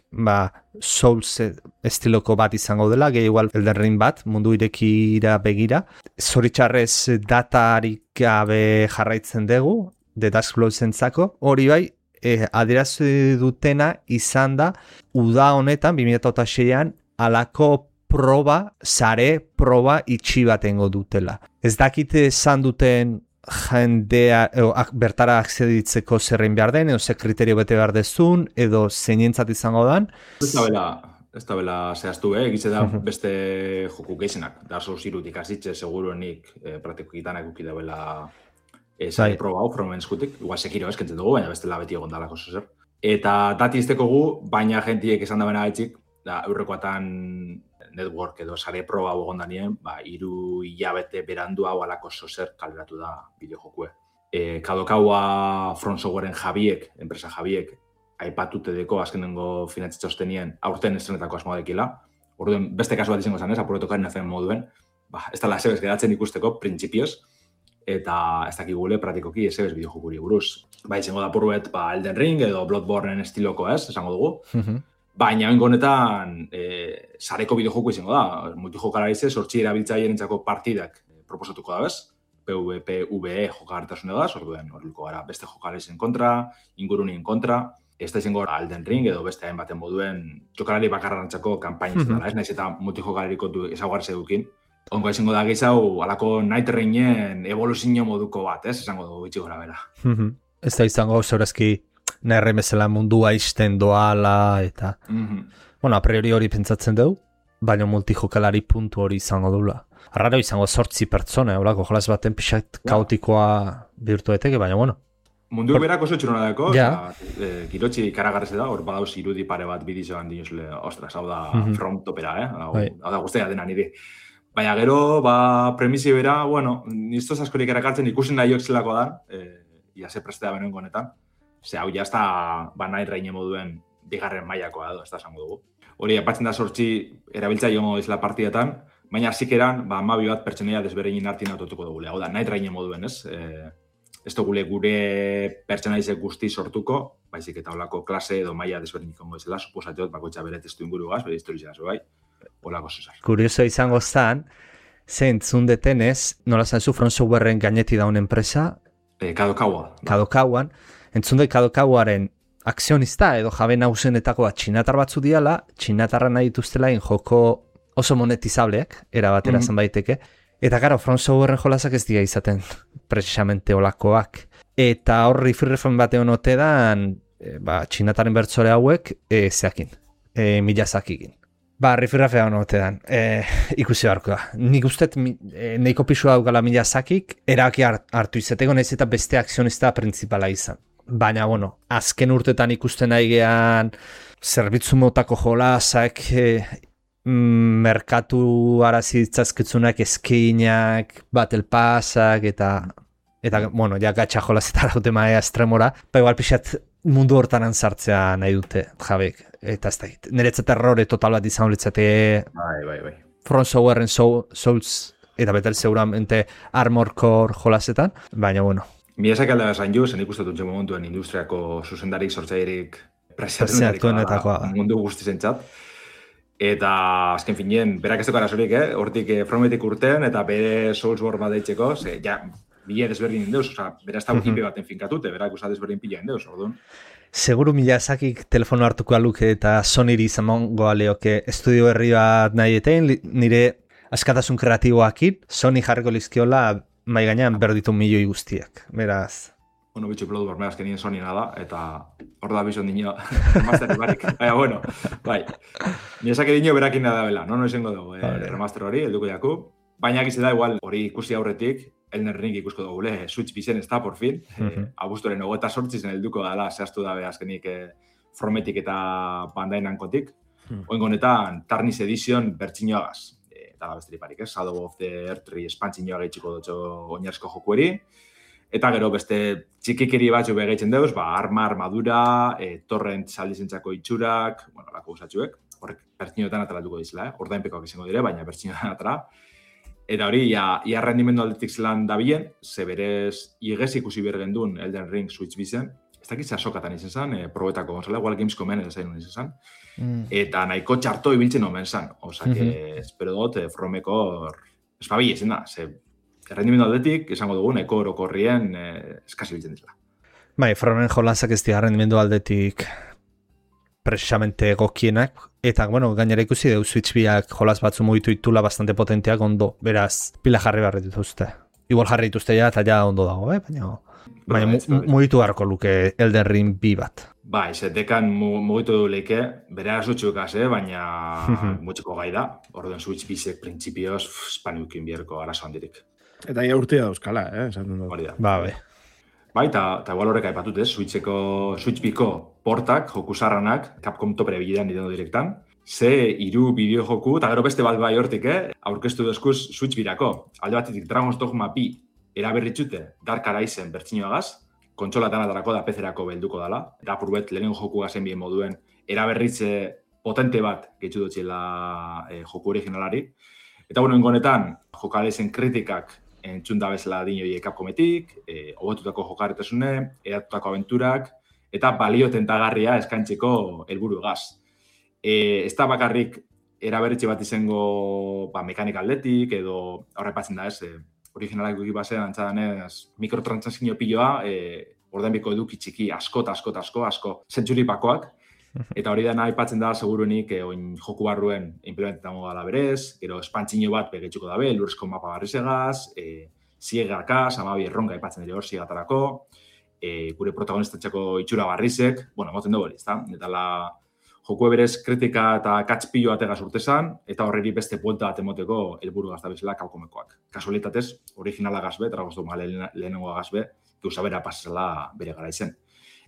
Souls estiloko bat izango dela, gehi igual Elden Ring bat, mundu irekira begira. Zoritxarrez datarik gabe jarraitzen dugu, The Dark Bloods entzako, hori bai, adierazi dutena izan da, uda honetan, 2006an, alako sare proba itxi batengo dutela. Ez dakite esan duten jendea bertara akzeditzeko zerrein behar den, edo ze kriterio bete behar dezun, edo zeinentzat izango dan. Ez da bela zehaztu, egitze da beste joku geizenak. Dark Souls irutik azitxe, seguruenik praktikokitan ekuki da bela zare proba hau, From eskutik. Igual Sekiro eskentzen dugu, baina beste labeti egon dalako zuzer. Eta dati izteko gu, baina jentiek esan da bena gaitxik, aurrekoatan network edo sare proba egon danien, 3 hilabete berandu hau alako zozer kaleratu da bideojokue. Kadokaua From Softwareen jabiek, enpresa jabiek, aipatute deko azkenengo finantzitzostenien aurten estrenetako asmoa dekila. Orduen, beste kasu bat izango zanez, apurretokaren azen moduen, ez da lasebez geratzen ikusteko, printzipioz, eta ez dakigule praktikoki esebez bideojokuri buruz. Izango da purruet, Elden Ring edo Bloodborne estiloko esango dugu. Baina honetan sareko bideojoku izango da. Multijokalarize, sortzi erabiltzaileen entzako partidak proposatuko da bez. PvE jokagartasune da, orduen horriko gara beste jokalarizen kontra, ingurunien kontra. Ez da izango Elden Ring edo beste hainbaten moduen jokalari bakarrantzako kanpaina izan dela. Ez naiz eta multijokalariko ezaugarri dukin. Ongo izango da gehiago alako Night Rainen evoluzio moduko bat, esango dugu itxi gora bera. Ez da izango zaurazki nahi bezala mundua izten doala, eta... a priori hori pentsatzen dugu, baina multijokalari puntu hori izango dula. Arraro izango 8 pertsona, holako jolas baten pixat kaotikoa bihurtueteke, baina Mundu berak oso txurona dako, girotxi karagarrez da, hor badauz irudi pare bat bidizoan dinuzle, ostras, hau da From topera, hau da guztia dena niri. Baina gero, premisi bera, niztoz askorik erakartzen ikusen nahi zelako da, ia ze prestea benoen honetan. Ze hau jazta nahi reine moduen bigarren mailakoa edo, ez da esango dugu. Hori, apatzen da 8 erabiltza jongo izela partidetan, baina zikeran, 12 bat pertsonaia desberdinen artin autotuko dugu. Hau da, nahi reine moduen, ez? Ez dugule gure pertsonaizek guzti sortuko, baizik eta holako klase edo maila desberdinik ongo izela, suposateot bakoitza bere testu inguruaz, bere historizaz, bai? Holako zuzar. Kurioso izango zan, zentzun detenez, nola zanzu From Softwareen gaineti daun enpresa? Kadokauan. Entzunde Kadokauaren akzionista edo jabe nagusenetako bat txinatar batzu diala, txinatarra nahi dituztela joko oso monetizableak, erabatera zen daiteke. Eta gara, From Softwareen jolasak ez dira izaten, precisamente olakoak. Eta horri firrefen batean otedan, txinataren bertzore hauek, zeakin, milazakikin. Rifirrafea hona otedan, ikusi beharko da. Nik usteet, neiko pisua daukala milazakik, eraki hartu izeteko, nahiz eta beste akzionista principala izan. Baina, azken urtetan ikusten nahi gehan, zerbitzu motako jolasak, merkatu arazitzazkitzunak, eskinak, battle passak, eta ja, gatxa jolazetara dute maea estremora, igual pixat mundu hortaran sartzea nahi dute, jabek, eta ez da hit. Niretzat errore total bat izan litzate Bai. From Softwareen Souls eta betel seguramente Armored Core jolasetan, baina bueno. Miyazaki alda esan ju, zen ikustatun momentuen industriako zuzendarik sortzailerik presiatuenetakoa mundu guztizentzat. Eta azken finean, berak ez duk arazorik, hortik Frometik urtean, eta bere Soulsborne bat deitzeko, bile desberdin indeuz, bera ez da IP baten finkatute, berak usa desberdin pila indeuz, orduan. Seguru Miyazakik telefono hartuko aluke eta Sonyri izango aleoke estudio berri bat nahi etein, nire askatasun kreatiboakin, Sony jarriko lizkiola mai gainean berditu milioi guztiak, beraz. Bueno, bitxu Bloodborne, azkenien Sony nada, eta hor da bizon dino, remaster barik. Bueno, bai. Miyazaki dino berakin da bela, no izango dugu remaster hori, helduko jaku. Baina gize da, igual, hori ikusi aurretik, Elden Ring ikusko dugu, Switch bizen ez da, por fin. Abuztoren 28 zen helduko dala, zehaztu dabe azkenik Frometik eta Bandai Namcotik. Oingo honetan, Tarnis Edition bertxinoagaz. Eta besterik barik, Shadow of the Earth espantzinoa gehitxiko dutxo oinarrizko jokueri. Eta gero beste txikikeri batzu begeitzen deuz, armadura, torrent saldizentzako itxurak, bueno, lako usatxuek, horrek bertxinoetan atalatuko dizela, ordainpekoak izango dire, baina bertxinoetan atala. Eta hori, ia rendimendu aldetik zelan dabilen, ze berez igez ikusi bergen duen Elden Ring Switch bizen, ez dakit sokatan izan zen, probetako gonzala, igual Gamescomen ez zainun izan zen, eta nahiko txarto ibiltzen omen zen, oza, espero dut, Fromeko espabile zen da, ze rendimendu aldetik, esango dugu, nahiko orokorrien eskasi biltzen dizela. Bai, Fromen jolanzak ez dira rendimendu aldetik precisamente egokienak, eta, bueno, gainera ikusi deu Switch biak jolas batzu mugitu itula bastante potenteak ondo, beraz, pila jarri barri dituzte. Igual jarri dituzte ja, eta ja ondo dago, baina mugitu harko luke Elden Ring bi bat. Bai, zetekan mugitu du leike, bere arazutxukaz, baina mutxiko gai da, orduen Switch bizek printzipioz spaniukin bierko arazo handirik. Eta ia urtea dauzkala, esaten dut. Bai. Bai, eta igual horrek aipatut, Switch biko portak, jokusarranak, Capcom topere bilean Nintendo Directan, ze 3 bideo joku, eta gero beste bat bai hortik, aurkeztu dozkuz Switch birako. Alde batetik Dragon's Dogma 2 eraberritxute Dark Horizon bertxinoagaz, kontsolatan atarako da PC-erako belduko dela, eta apurbet lehenen joku gazen bien moduen eraberritze potente bat gehitzu dutxela joku originalari. Eta bueno, honetan, jokalezen kritikak entzun da bezala dinoi Capcometik, hobetutako jokaretasune, eratutako abenturak, eta balio tentagarria eskaintzeko helburu gaz. Ez da bakarrik eraberritxe bat izango mekanika aldetik, edo horrepatzen da ez, originalak duki basean antzadanez mikrotransakzio piloa, ordainbiko eduki txiki asko, zentsuripakoak, eta hori dena aipatzen da seguruenik oin joku barruen implementetango gala berez, gero espantzino bat begetxuko dabe, lurrezko mapa barrizegaz, ziegakaz, amabi erronka aipatzen dira hor ziegatarako, gure protagonistatxako itxura barrizek, bueno, moten dugu hori, ezta? Eta joku berez kritika eta katspillo ategaz urtezan, eta horreri beste buelta bat emoteko helburu gazta bezala Capcomekoak. Kasualitatez, originala gazbe, Dragon's Dogma lehenengo gazbe, bera pasazela bere gara izen.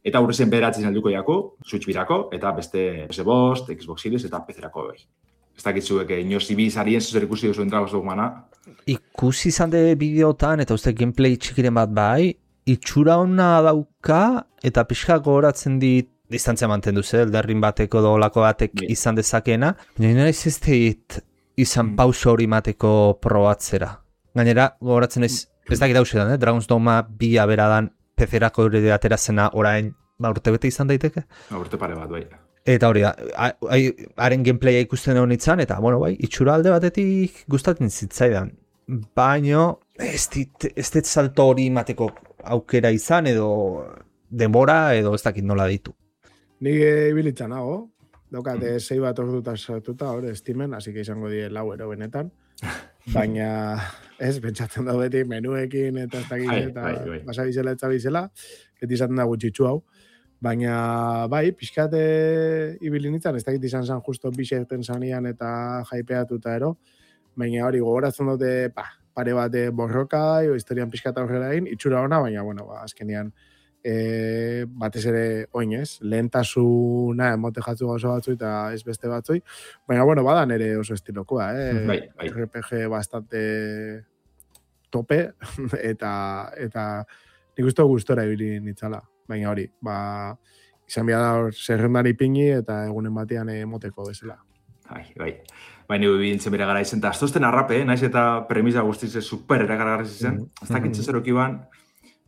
Eta hurrezen bederatzen helduko jako, Switch birako, eta beste PS5, Xbox Series eta PC-erako bai. Ez dakitzuek inoz ibizarien zuzer ikusi duzuen Dragon's Dogmana. Ikusi izan de bideotan, eta uste gameplay txikiren bat bai, itxura hona dauka, eta pixka gogoratzen dit, distantzia mantendu ze, Elden bateko dolako batek izan dezakena, baina ez izan pauso hori mateko probatzera. Gainera, gogoratzen ez dakit hausetan, Dragon's Dogma 2 beradan PC-erako hori atera zena orain urte bete izan daiteke? Urte pare bat, bai. Eta hori da, haren gameplaya ikusten egon itzan, eta, bueno, bai, itxura alde batetik gustatzen zitzaidan. Baina, ez dit salto hori mateko aukera izan, edo denbora, edo ez dakit nola ditu. Nik ibilitzen nago, daukate 6 bat orduta sartuta, hori estimen, hasi que izango die 4 ero benetan. Baina, ez, pentsatzen da beti menuekin eta ez dakit eta basa bizela eta bizela, beti izaten da gutxitzu hau. Baina, bai, pixkate ibili nintzen, ez dakit izan zen justo bixerten zanian eta jaipeatuta ero, baina hori gogoratzen dute, pare bat borroka, historian pixkata horrela egin, itxura ona, baina, bueno, azkenean, batez ere oinez, lehentasuna emote jatzu gauza batzu eta ez beste batzui, baina bueno, badan ere oso estilokoa, Bai. RPG bastante tope eta nik uste gustora ibili nitzala, baina hori, izan behar da zerrendan ipingi eta egunen batean emoteko bezala. Bai. Baina bintzen bere gara izen, eta aztozten arrape, naiz eta premisa guztiz super erakargarri zen, ez dakitze zeroki ban,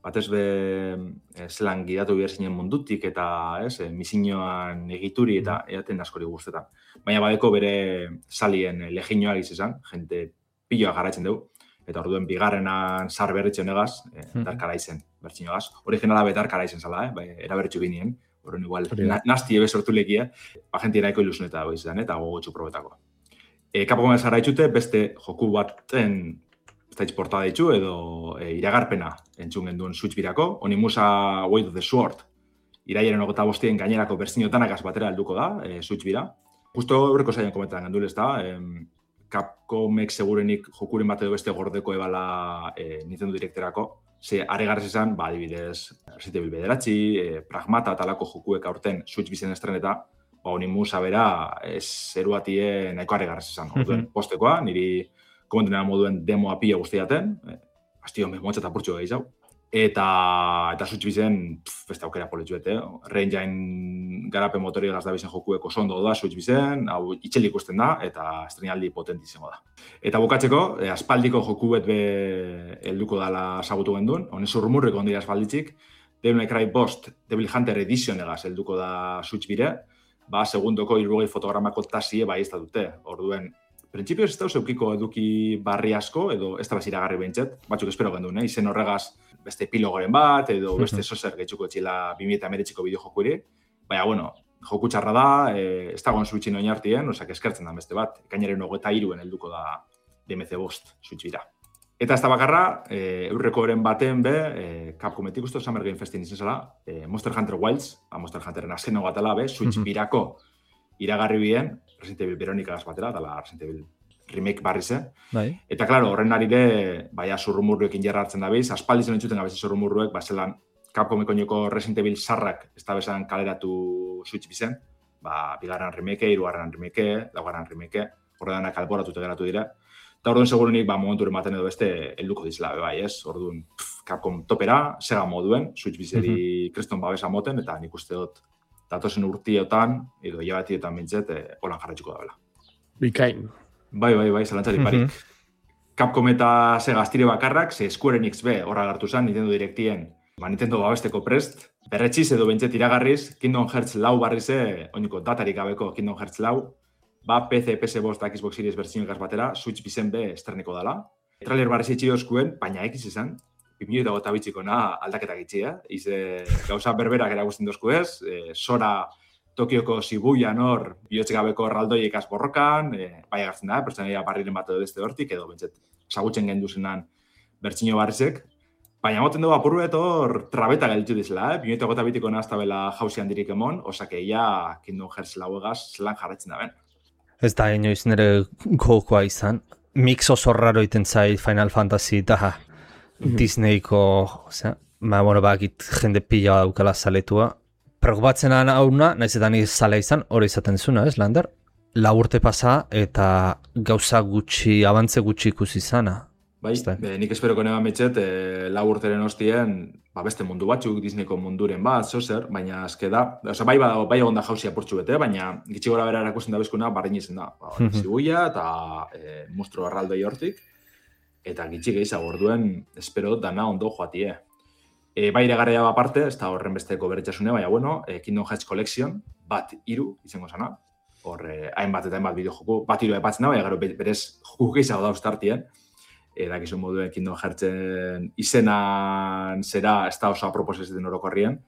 batez be zelan gidatu behar zinen mundutik eta misioan egituri eta eaten askori guztetan. Baina badeko bere salien leginoak izan, jente piloa garatzen dugu, eta orduen bigarrenan zar berritzen egaz, darkara izen, bertxinoagaz. Originala betarkara izen zala, erabertxu binien, horren igual, nasti ebe sortu lekia, jente eraiko ilusuneta dago izan, eta gogotxu probetako. Capcom zara itxute, beste joku baten portada ditzu edo iragarpena entzun genduen Switch birako, Onimusa Way of the Sword, iraiaren 25 gainerako bertsiotanakaz batera helduko da, Switch bira. Justo horreko zailan komentan gendul ez da, Capcomek segurenik jokuren bat edo beste gordeko ebala Nintendo Directerako, ze aregarrez izan, adibidez, Resident Evil 9, Pragmata talako jokuek aurten Switch bizen estreneta, Onimusa bera zeruatie nahiko aregarrez izan. Orduen postekoa, niri komentenera moduen demoa pila guztiaten, bastion motxa eta purtsu gehiago. Eta Switch bizen, beste aukera politxuete, Re-Engine garapen motori egaz da bizen jokueko sondo da Switch bizen, hau itxel ikusten da, eta estrenaldi potenti izango da. Eta bukatzeko, aspaldiko jokuet be helduko dala sagutu genduen, honen zurmurreko ondira aspalditzik, Devil May Cry Bost, Devil Hunter Edition egaz helduko da Switch bire, segundoko 60 fotogramako tasie ez da dute. Orduen, printzipioz ez da zeukiko eduki barri asko, edo ez da iragarri behintzet, batzuk espero genduen, izen horregaz beste epilogoren bat, edo beste zozer gehitzuko etxila 2019ko bideojokuri. Baina, bueno, joku txarra da, ez dagoen Switchin oinartien, osak eskertzen da beste bat, ekainaren 23 helduko da DMC Bost Switch bira. Eta ez da bakarra, eurrekoren baten be, Capcometik uste Summer Game Festin izen zela, Monster Hunter Wilds, Monster Hunteren azken hau batela, Switch birako iragarri bien, Resident Evil Veronicagaz batera, dala Resident Evil remake barrize. Eta, klaro, horren arire, zurrumurruekin jarra hartzen da biz, aspaldizen entzuten gabiz zurrumurruek, zelan Capcomeko nioko Resident Evil sarrak ez da bezan kaleratu Switch bizen, bigarren remake, hirugarren remake, laugarren remake, horredanak alboratute geratu dira. Eta orduan segurenik momenturen baten edo beste helduko dizela, Orduan Capcom topera, Sega moduen, Switch bizeri kriston babesa moten, eta nik uste dut datozen urtiotan, edo hilabatietan bintzet, holan jarraitzuko da bela. Bikain. Bai, zelantzarik barik. Capcom eta Sega astire bakarrak, ze Square Enix B horra gartu zen, Nintendo Directien, Nintendo babesteko prest, berretxiz edo bintzet iragarriz, Kingdom Hearts 4 barrize, oiniko datarik gabeko Kingdom Hearts 4, PC, PS5 eta Xbox Series bertsioikaz batera, Switch bizen be estreneko dala. Trailer barriz itxiozkuen, baina ekiz izan, 2008 aldaketak itxia, gauza berberak eragusten dozku ez, Sora Tokioko Shibuyan hor, bihotzik gabeko erraldoiekaz borrokan, bai agartzen da, pertsonaia barriren bat edo beste hortik, edo bentzet, sagutzen gendu zenan bertsio barrizek, baina moten dugu apurru hor trabeta gelditu dizela, 2008 nazta bela jauzian dirik emon, osakeia Kingdom Hearts lauegaz zelan jarretzen da ben. Ez da inoiz nire gokoa izan. Mix oso raro iten zait Final Fantasy eta Disneyko, bakit jende pila daukala zaletua. Preokupatzen hauna, nahiz eta nire zale izan, hori izaten zuna, ez, Lander? 4 urte pasa eta gauza gutxi, abantze gutxi ikusi izana. Bai, nik esperoko neba metxet, 4 urteren hostien, beste mundu batzuk, Disneyko munduren bat, zozer, baina azke da, bai egon da jauzi apurtxu bete, baina gitxi gora bera erakusten da bezkuna, barrein izen da. Zibuia eta monstro arraldoi hortik, eta gitxi gehiago orduen, espero dana ondo joatie. Bai iragarria aparte, ez da horren besteko beretxasune, baina Kingdom Hearts Collection, 1-3 izango zana, hor hainbat eta hainbat bideo joku, 1-3 epatzen da, baina gero berez joku gehiago da ustartien, dakizun moduen Kingdom Heartsen izenan zera ez da oso apropos ez den orokorrien.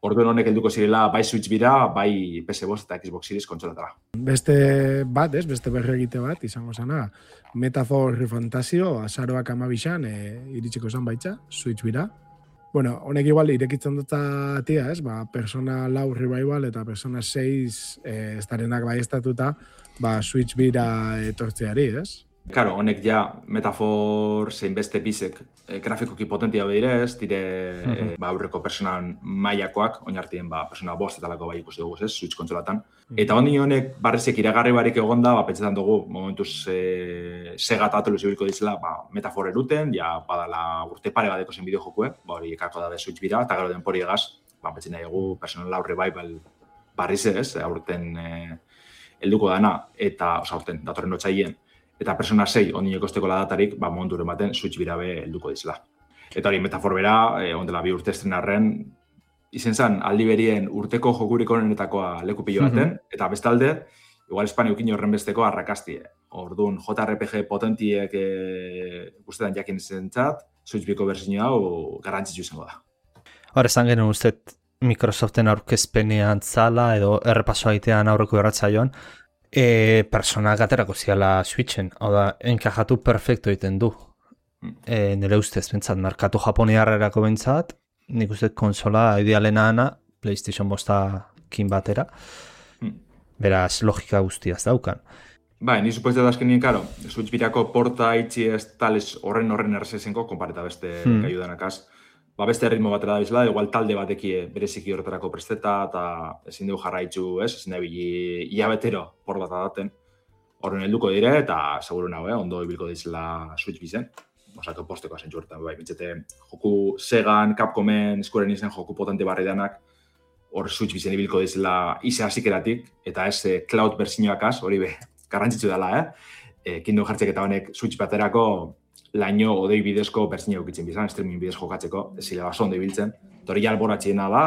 Orduen honek helduko zirela bai Switch bira, bai PS5 eta Xbox Series kontsolatara. Beste bat, beste berri egite bat, izango zana, Metaphor Refantasio, azaroak 12an iritsiko zan baitza, Switch bira. Bueno, honek igual irekitzen dut tia, Persona 4 Revival eta Persona 6 ez darenak bai estatuta, Switch bira etortzeari, ez? Claro, honek ja Metaphor zein beste bizek grafikoki potentia behirez, dire aurreko personan mailakoak, oinartien persona 5 eta lako bai ikusi dugu, Switch kontsolatan. Eta honek barrizek iragarri barik egon da, pentsetan dugu, momentuz Sega eta Atlus ibilko dizela, Metaphor eruten, ja badala urte pare badeko zen bideo jokue, hori ekarko dabe Switch bira, eta gero denpori egaz, pentsen nahi egu Persona 4 Revival barriz ez, aurten helduko dana, eta, aurten, datorren otsailean, eta Persona 6 ondino kosteko datarik, momenturen baten Switch birabe helduko dizela. Eta hori metafor bera, ondela 2 urte estrenarren, izen zen aldi berien urteko jokurik onenetakoa leku pilo baten, eta bestalde, igual Espanya ukin horren besteko arrakastie. Orduan, JRPG potentiek guztetan jakin zentzat, Switch biko berzio hau garrantzitsu izango da. Hor, esan genuen uste Microsoften aurkezpenean zala edo errepaso aitean aurreko erratzaioan, personak aterako ziala Switchen, hau da, enkajatu perfecto egiten du. Nire ustez, bentsat, merkatu japoniarrerako bentsat, nik uste konsola idealena ana, PlayStation 5 batera, beraz logika guztiaz daukan. Bai, ni supuesto da azkenien, karo, Switch birako porta itxi ez tales horren errezesenko, konpareta beste gaiudanakaz. Beste ritmo batera da bizela, igual talde batekie bereziki horretarako presteta, eta ezin dugu jarraitzu, ezin da bili iabetero por bat adaten. Horren helduko dire, eta seguru nago, ondo ibilko dizela Switch bizen. Osako posteko azentzu horretan, bai, bintzete, joku Segan, Capcomen, Squaren izen joku potente barri danak, hor Switch bizen ibilko dizela ize hasikeratik, eta ez cloud berzinoakaz, hori be, garrantzitsu dela, Kingdom Heartsek eta honek Switch baterako laino odei bidezko berzino eukitzen bizan, streaming bidez jokatzeko, ez zile baso ondo ibiltzen, hori alboratxiena da,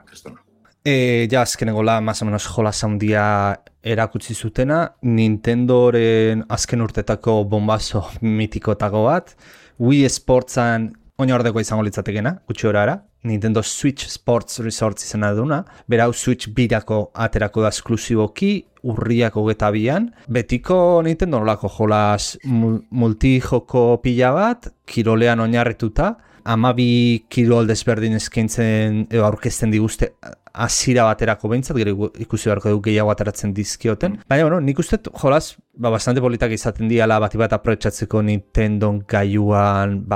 kristona. Ja, azkenengo más o menos jolas handia erakutsi zutena, Nintendoren azken urtetako bombazo mitikotako bat, Wii Sportsan oinordeko izango litzatekena, gutxi horara, Nintendo Switch Sports Resort izena duna, berau Switch birako aterako da esklusiboki, urriako 22an, betiko Nintendo nolako jolas multijoko pila bat, kirolean oinarrituta, 12 kirol desberdin eskaintzen edo aurkezten diguzte hasiera baterako behintzat, gero ikusi beharko dugu gehiago ateratzen dizkioten. Baina, bueno, nik uste jolas bastante politak izaten diala bat aprobetxatzeko Nintendo gaiuan,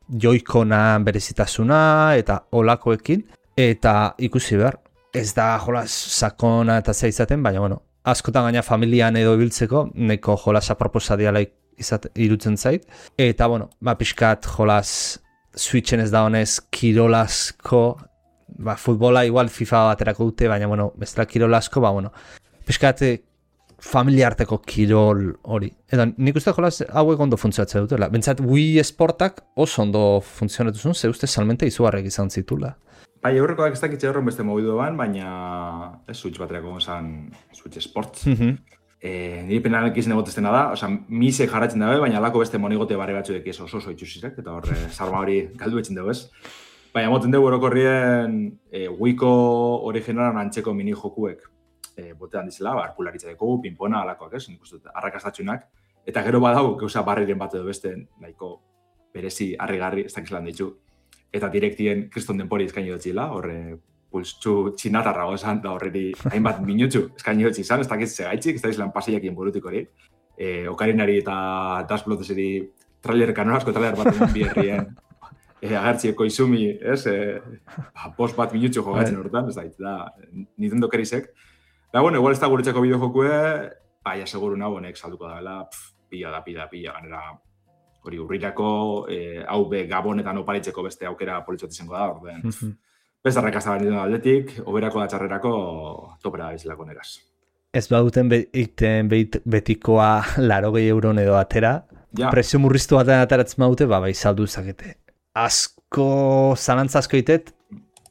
joikonan berezitasuna eta olakoekin, eta ikusi behar. Ez da jolas sakona eta zea izaten, baina, bueno, askotan gaina familian edo ibiltzeko, neko jolas aproposa diala irutzen zait. Eta, bueno, pixkat jolas Switchen ez da honez kirolasko, futbola igual FIFA baterako dute, baina, bueno, bestela kirolasko, bueno, pixkat familiarteko kirol hori. Eta nik uste jolas hauek ondo funtzionatzen dutela. Bentsat Wii Sportak oso ondo funtzionatu zuen, ze uste salmente izugarrek izan zitula. Bai, aurrekoak ez dakitxe horren beste mobidu ban, baina Switch baterako gozan Switch Sports. Nire penanak izan egoteztena da, misek jarratzen dabe, baina alako beste monigote barri batzuek ez oso itxusizek, eta horre sarma hori galdu etxen dugu ez. Baina moten dugu orokorrien Wiiko originalan antzeko mini jokuek botean dizela, arkularitza dugu, pinpona, alakoak ez, nik uste arrakastatxunak, eta gero badau, gauza barriren bat edo beste, nahiko berezi harrigarri, ez dakizelan ditu, eta direktien kriston denpori eskaini dutxila, horre pulstxu txinatarra gozan, da horreri hainbat minutxu eskaini dutxi izan, ez dakitze gaitxik, ez dakizelan paseiakien burutik hori, Okarinari eta Dasploteseri trailer kanorazko trailer bat eman bierrien, agertzieko izumi, ez, post bat minutxu jogatzen horretan, ez da, Nintendo kerisek. Da, bueno, igual ez da guretzako bideojokue, baina seguru nago honek salduko da, pila, ganera hori urrirako, hau be gabonetan oparitzeko beste aukera politxot izango da, orden. Beste arrakazta behar ditu aldetik, oberako da txarrerako topera izlako negaz. Ez baduten betikoa 80 euron edo atera, presio murriztu batean ateratzen badute, bai saldu zakete. Asko, zalantza asko itet,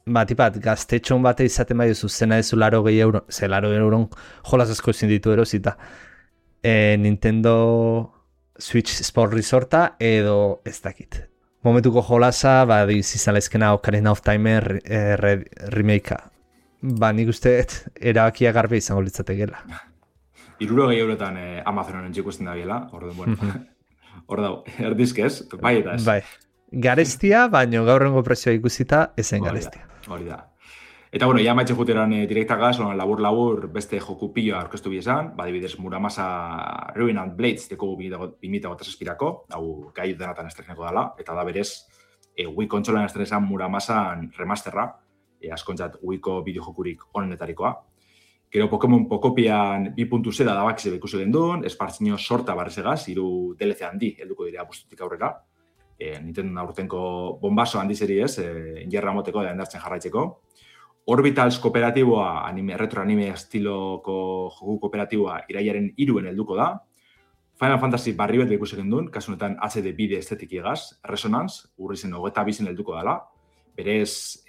tipat, gaztetxon bate izaten bai duzu, zena ezu 80 euro, ze 80 euron jolas asko ezin ditu erosita. Nintendo Switch Sport Resorta edo ez dakit. Momentuko jolasa, izizalezkena Ocarina of Time remakea. Nik uste erabakia garbi izango litzatekela. 60 eurotan Amazonen txikusten da biela, bueno, hor dago, erdizkez, bai eta ez. Bai. Garestia, baina gaurrengo prezioa ikusita ezen garestia. Hori da. Eta, bueno, ja maitxe juteran direktagaz, labur beste joku pilloa aurkeztu biezan, badibidez Muramasa Ruined Blades deko 2008-ko, hau gai denatan estreneko dela, eta da berez, Wii kontsolan estrenesan Muramasan remasterra, askontzat Wiiko bideojokurik onenetarikoa. Gero Pokemon Pocopian 2.0 da bakize ikusi gendun, espartzino sorta barrezegaz, 3 DLC handi helduko direa bustutik aurrera. Nintendo aurtenko bombazo handi zeri ez, injerra moteko da endartzen jarraitzeko. Orbitals kooperatiboa, retro anime estiloko joku kooperatiboa irailaren 3 helduko da. Final Fantasy barri bat ikusi gendun, kasu honetan HD bide estetik igaz, Resonance, urrizen 22 helduko dela, berez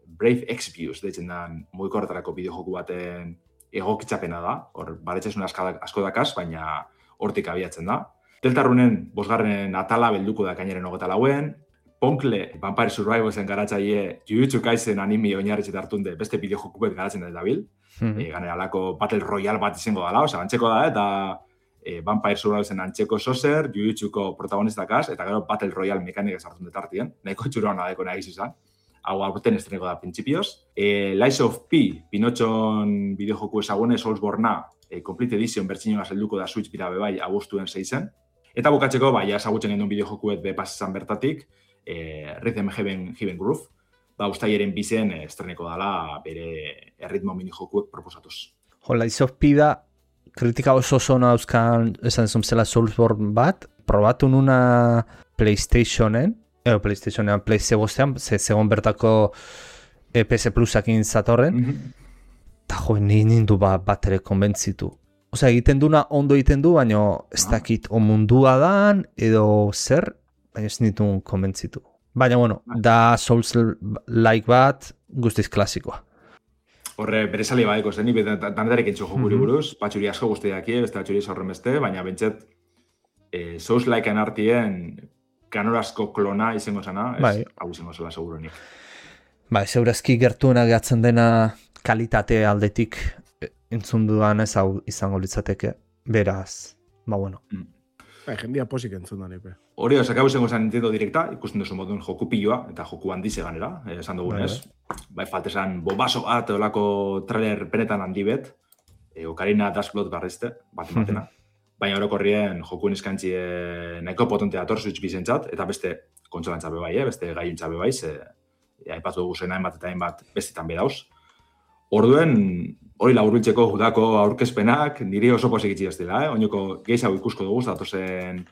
Brave Exvius, deitzen dan mugikorretarako bideojoku baten egokitzapena da, hor baretxesun asko dakaz, baina hortik abiatzen da. Deltarunen 5. atala belduko da kainaren 24, Ponkle, Vampire Survivalsen garatzaile, Jujutsu Kaisen anime oinarritzet hartunde beste bideojoku bat garatzen da dabil. Ganera alako Battle Royale bat izango dela, antzeko da, eta Vampire Survivalsen antzeko sozer, Jujutsuko protagonistakaz, eta gero Battle Royale mekanikaz hartun detartien, nahiko txuroan adeko nahiz izan. Hau aurten estreneko da principios. Lies of P, Pinotxon bideojoku ezagune, Soulsborne-a, Complete Edition bertxinioa zelduko da Switch bira bebai abuztuen 6-en. Eta bukatzeko, ezagutzen genuen bideojokuet bepasesan bertatik, Rhythm Heaven Groove, ustailaren 2-en estreneko dala bere erritmo minijokuek proposatuz. Lies of P da, kritika oso zona dauzkan esan zumzela Soulsborne bat, probatu nuna PlayStationen, Play zegozean, segon bertako PS Plusakin zatorren, eta nindu bat ere konbentzitu. Osea, egiten duna ondo egiten du, baina ez dakit o mundua dan, edo zer, baina ez nituen konbentzitu. Baina, bueno, da Souls-like bat guztiz klasikoa. Horre, bere sali badeko zen, danetarek entxo jokuri buruz, patxuri asko guztiak beste patxuri horren beste, baina bentset Souls-likean artien kanorazko klona izango zena, hau izango zela segurunik. Zeurazki gertuena gehatzen dena kalitate aldetik entzun dudan ez hau izango litzateke, beraz, bueno. Jendia posik entzun da nipe. Hori, hau izango zen Nintendo Directa, ikusten duzu modun joku pilloa, eta joku handize ganera, esan dugunez. Faltezan bombaso bat, olako trailer benetan handi bet, Ocarina Dashblot barrezte, bat-matena. Baina orokorrien jokuen izkantzi nahiko potente dator Switch bizentzat, eta beste kontsolantzat bebai, beste gaiuntzat bebai, aipatu dugu zen hainbat eta hainbat bestetan bedauz. Orduen, hori laburbiltzeko judako aurkezpenak, niri oso posik itxi ez dela, oinoko gehiago ikusko dugu, datozen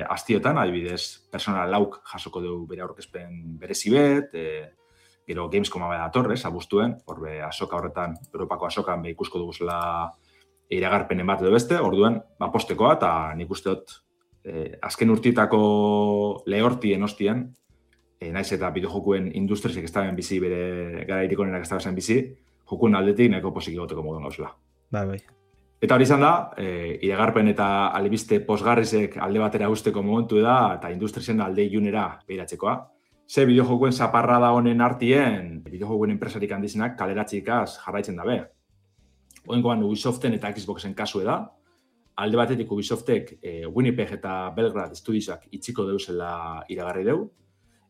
astiotan, adibidez, Persona lauk jasoko dugu bere aurkezpen berezi bet, gero Gamescoma bera datorrez, abuztuen, horbe asoka horretan, Europako asokan ikusko dugu zela iragarpenen bat edo beste, orduen, postekoa, eta nik uste dut azken urtietako lehortien ostien, naiz eta bideojokuen industriasek ez daben bizi, bere gara irikonenak ez daben bizi, jokuen aldetik nahiko posik egoteko modun gauzela. Bai. Eta hori izan da, iragarpen eta albiste posgarrizek alde batera usteko momentu da, eta industriasen alde ilunera behiratzekoa. Ze bideojokuen zaparra da honen artien, bideojokuen enpresarik handizenak kaleratxikaz jarraitzen dabe. Oengoan Ubisoften eta Xboxen kasue da. Alde batetik Ubisoftek Winnipeg eta Belgrad Studiosak itxiko deuzela iragarri deu.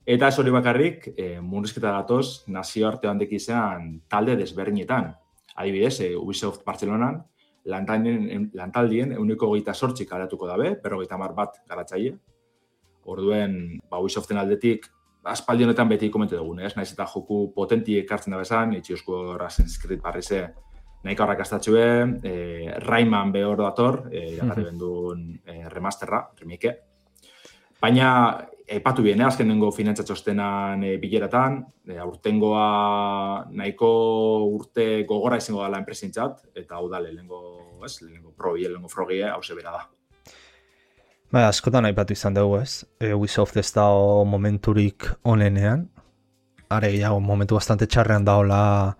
Eta ez hori bakarrik, murrizketa datoz nazioarte handek izan talde desberdinetan. Adibidez, Ubisoft Bartzelonan lantaldien 128 karatuko dabe, 50 bat garatzaile. Orduen, Ubisoften aldetik, aspaldi honetan beti komente dugun, naiz eta joku potenti ekartzen da bezan, itxiozko Assassin's Creed barrize, nahiko arrakastatxue, Rayman behor dator, iragarri bendun remasterra, remake. Baina, epatu bien, azken nengo finantzatxostenan bileratan, aurtengoa nahiko urte gogora izango dela enpresintzat, eta hau da lehenengo probi, lehenengo frogie, hau zebera da. Askotan aipatu izan dugu ez, Ubisoft ez da momenturik onenean, are gehiago momentu bastante txarrean daola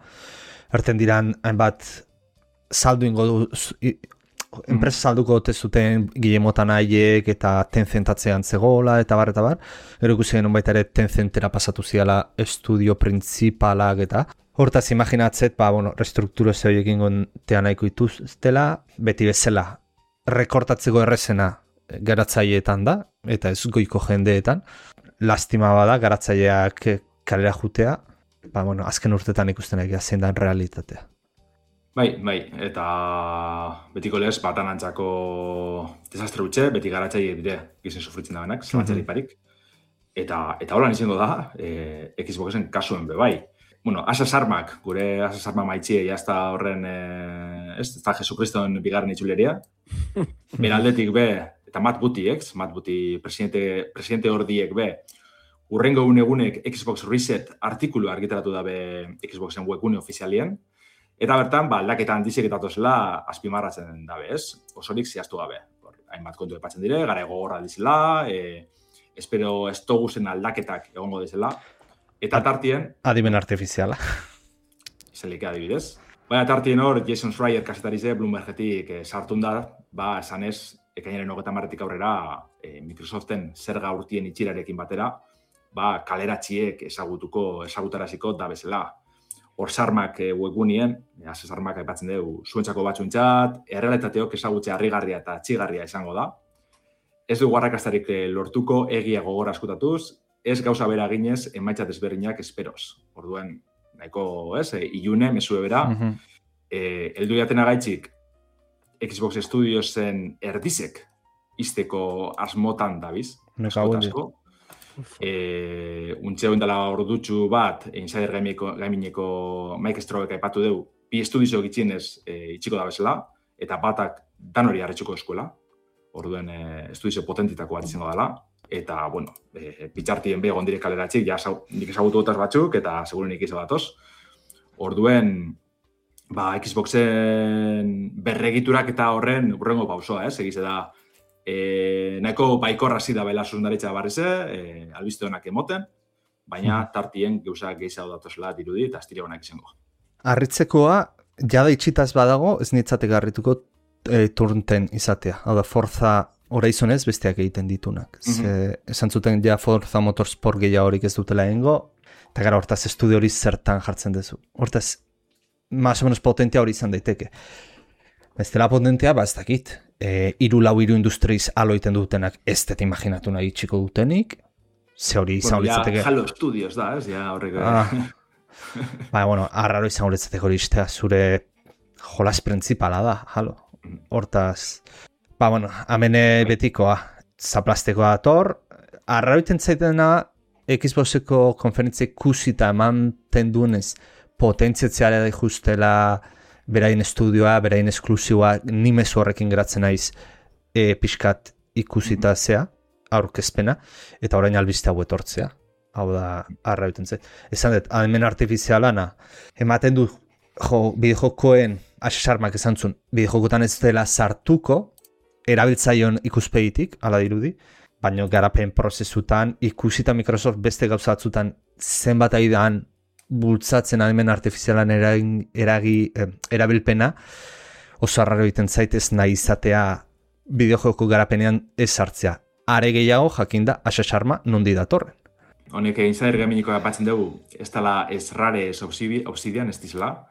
erten diran hainbat saldu ingo du, enpresa salduko ote zuten Guillemotan haiek eta Tencentatzean zegoela eta bar. Gero ikusi genuen baita ere Tencentera pasatu ziala estudio principalak eta hortaz imaginatzet, restrukturo ez horiekin gontea nahiko ituztela, beti bezala rekortatzeko errezena garatzaileetan da, eta ez goiko jendeetan. Lastima bada garatzaileak kalera jutea, azken urtetan ikusten egia zein da realitatea. Bai, eta betiko lez, batan antzako desastre utxe, beti garatzaile dire gizen sufritzen da benak, zelantzari parik. Eta holan izango da, Xboxen kasuen bebai. Asas Armak, gure Asas Arma maitxie, jazta horren, ez da Jesukriston bigarren itxuleria. Beraldetik be, eta Matt Booty, presidente hordiek be, urrengo egunek Xbox Reset artikulu argitaratu dabe Xboxen webgune ofizialien, eta bertan, aldaketa handizek eta tozela azpimarratzen dabe, ez? Osorik zehaztu gabe. Hainbat kontu epatzen dire, gara gogorra dizela, espero ez toguzen aldaketak egongo dizela, eta tartien... Adimen artifiziala. Izelik adibidez. Baina tartien hor, Jason Schreier kasetarize Bloombergetik sartun da, esanez, ekainaren 30 aurrera Microsoften zerga urtien itxirarekin batera, kaleratxiek ezagutaraziko da bezala. Hor sarmak webgunien, sarmak aipatzen dugu, zuentzako batzuentzat, errealitateok ezagutze harrigarria eta txigarria izango da. Ez dugu arrakastarik lortuko egia gogor askutatuz, ez gauza bera ginez emaitzat ezberdinak esperoz. Orduen, nahiko, ilune, mesue bera, heldu jaten agaitzik Xbox Studiosen erdizek izteko asmotan dabiz. Askotasko. Untxe dela ordutxu bat, Insider Gamineko Mike Strobek aipatu dugu, bi estudizio gitxienez itxiko da bezala, eta batak dan hori harretxuko eskuela, orduen estudizio potentitako bat izango dela, eta, bueno, pitxartien begon direk kaleratxik, nik ezagutu gotaz batzuk, eta segurenik izan datoz. Orduen, Xboxen berregiturak eta horren urrengo pausoa, egize da, nahiko baikorra zida bela zuzundaritza barrize, albiste honak emoten, baina tartien gauzak gehiago datozela dirudi eta astire honak izango. Arritzekoa, jada itxitaz badago, ez nitzatek harrituko turnten izatea. Hau da, Forza Horizonez besteak egiten ditunak. Esan zuten ja Forza Motorsport gehiago horik ez dutela egingo, eta gara hortaz estudio hori zertan jartzen duzu. Hortaz, más o menos potentia hori izan daiteke. Ez dela potentia, ez dakit. 3-4 industriz aloiten dutenak ez dut imaginatu nahi txiko dutenik. Ze hori izan horitzateke... Halo Studios da, ez? Ja, horrek... arraro izan horitzateke hori iztea zure jolas principala da, halo. Hortaz... amene betikoa, zaplastekoa dator. Arraro iten zaitena Xboxeko konferentzia ikusita emanten duenez potentziatzea da justela... berain estudioa, berain esklusioa, ni mezu horrekin geratzen naiz pixkat ikusita zea, aurkezpena, eta orain albiste hau etortzea. Hau da, arra biten zait. Esan dut, adimen artifizialana, ematen du, bideojokoen, asesarmak esan zuen, bideojokotan ez dela sartuko, erabiltzaion ikuspegitik, ala dirudi, baina garapen prozesutan, ikusita Microsoft beste gauzatzutan zenbat aidan bultzatzen adimen artifizialan erabilpena, oso arraro egiten zaitez nahi izatea bideojoko garapenean ez sartzea. Are gehiago jakinda asesarma nondi datorren. Honek Insider Gamineko apatzen dugu, ez dela ez rare ez Obsidian ez dizela,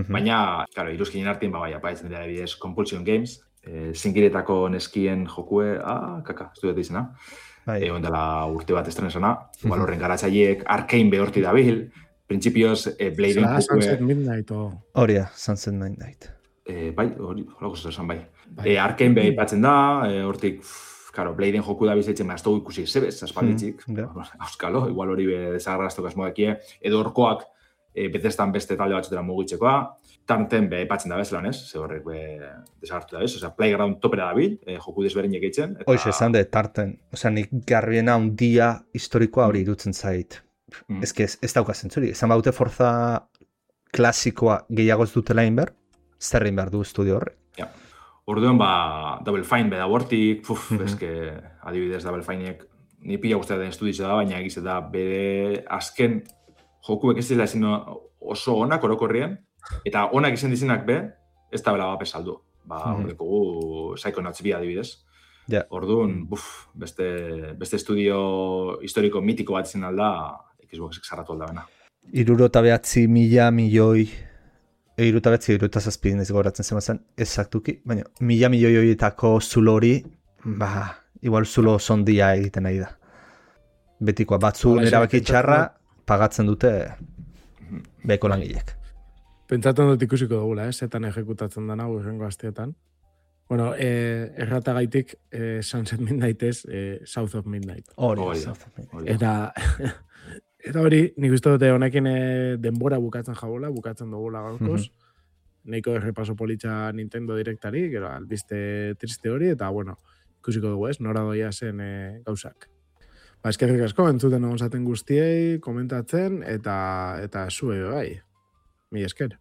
baina, claro, iruzkinen artien apatzen dira bidez Compulsion Games, zingiretako neskien jokue, ez dut izena, egon dela urte bat estrenesana, horren garatzaileek Arkane behorti dabil, Principios, Bladen jokue... Sunset Midnight, Horia, Sunset Midnight. Hori esan bai. Arkane beha ipatzen da, hortik, Bladen joku da bizitzen, ez dugu ikusi zebez, aspalditzik. Auskalo, igual hori desagarraztok asmoekie, edo horkoak betestan beste talde batzutera mugitzekoa, tarten beha ipatzen da bezelan, ez? Ze horrek desagartu da bez, osea, Playground topera da bil, joku desberdinek eitzen. Hoxe, esan de, tarten, osea, nik garbiena un dia historikoa hori irutzen zait. Ez daukazen zuri, esan baute Forza klasikoa gehiago ez dutela inber, zer egin behar du estudio horre. Orduan, Double Fine beda bortik, adibidez Double Fineek ni pila guztia den estudio da, baina egiz da bere azken jokuek ez dela ezin oso onak orokorrien, eta onak izan dizenak be, ez da bela bapes saldu. Horreko gu Psychonauts bi adibidez. Orduan, beste estudio historiko mitiko bat izan alda, Xboxek zarratu aldabena. 69 milioi, 67 ez gauratzen zen ezaktuki, baina 1.000 milioi horietako zulo hori, igual zulo sondia egiten nahi da. Betikoa, batzu erabaki txarra pagatzen dute beheko langilek. Pentsatzen dut ikusiko dugula, zetan ejekutatzen dana, urrengo asteetan. Bueno, erratagaitik Sunset Midnight ez, South of Midnight. South of Midnight. Eta hori, nik uste dute honekin denbora bukatzen dugula gaurkoz. Neiko errepaso politxa Nintendo Directari, gero albiste triste hori, eta bueno, ikusiko dugu ez, nora doia zen gauzak. Eskerrik asko, entzuten egon zaten guztiei, komentatzen, eta zue bai. Mi esker.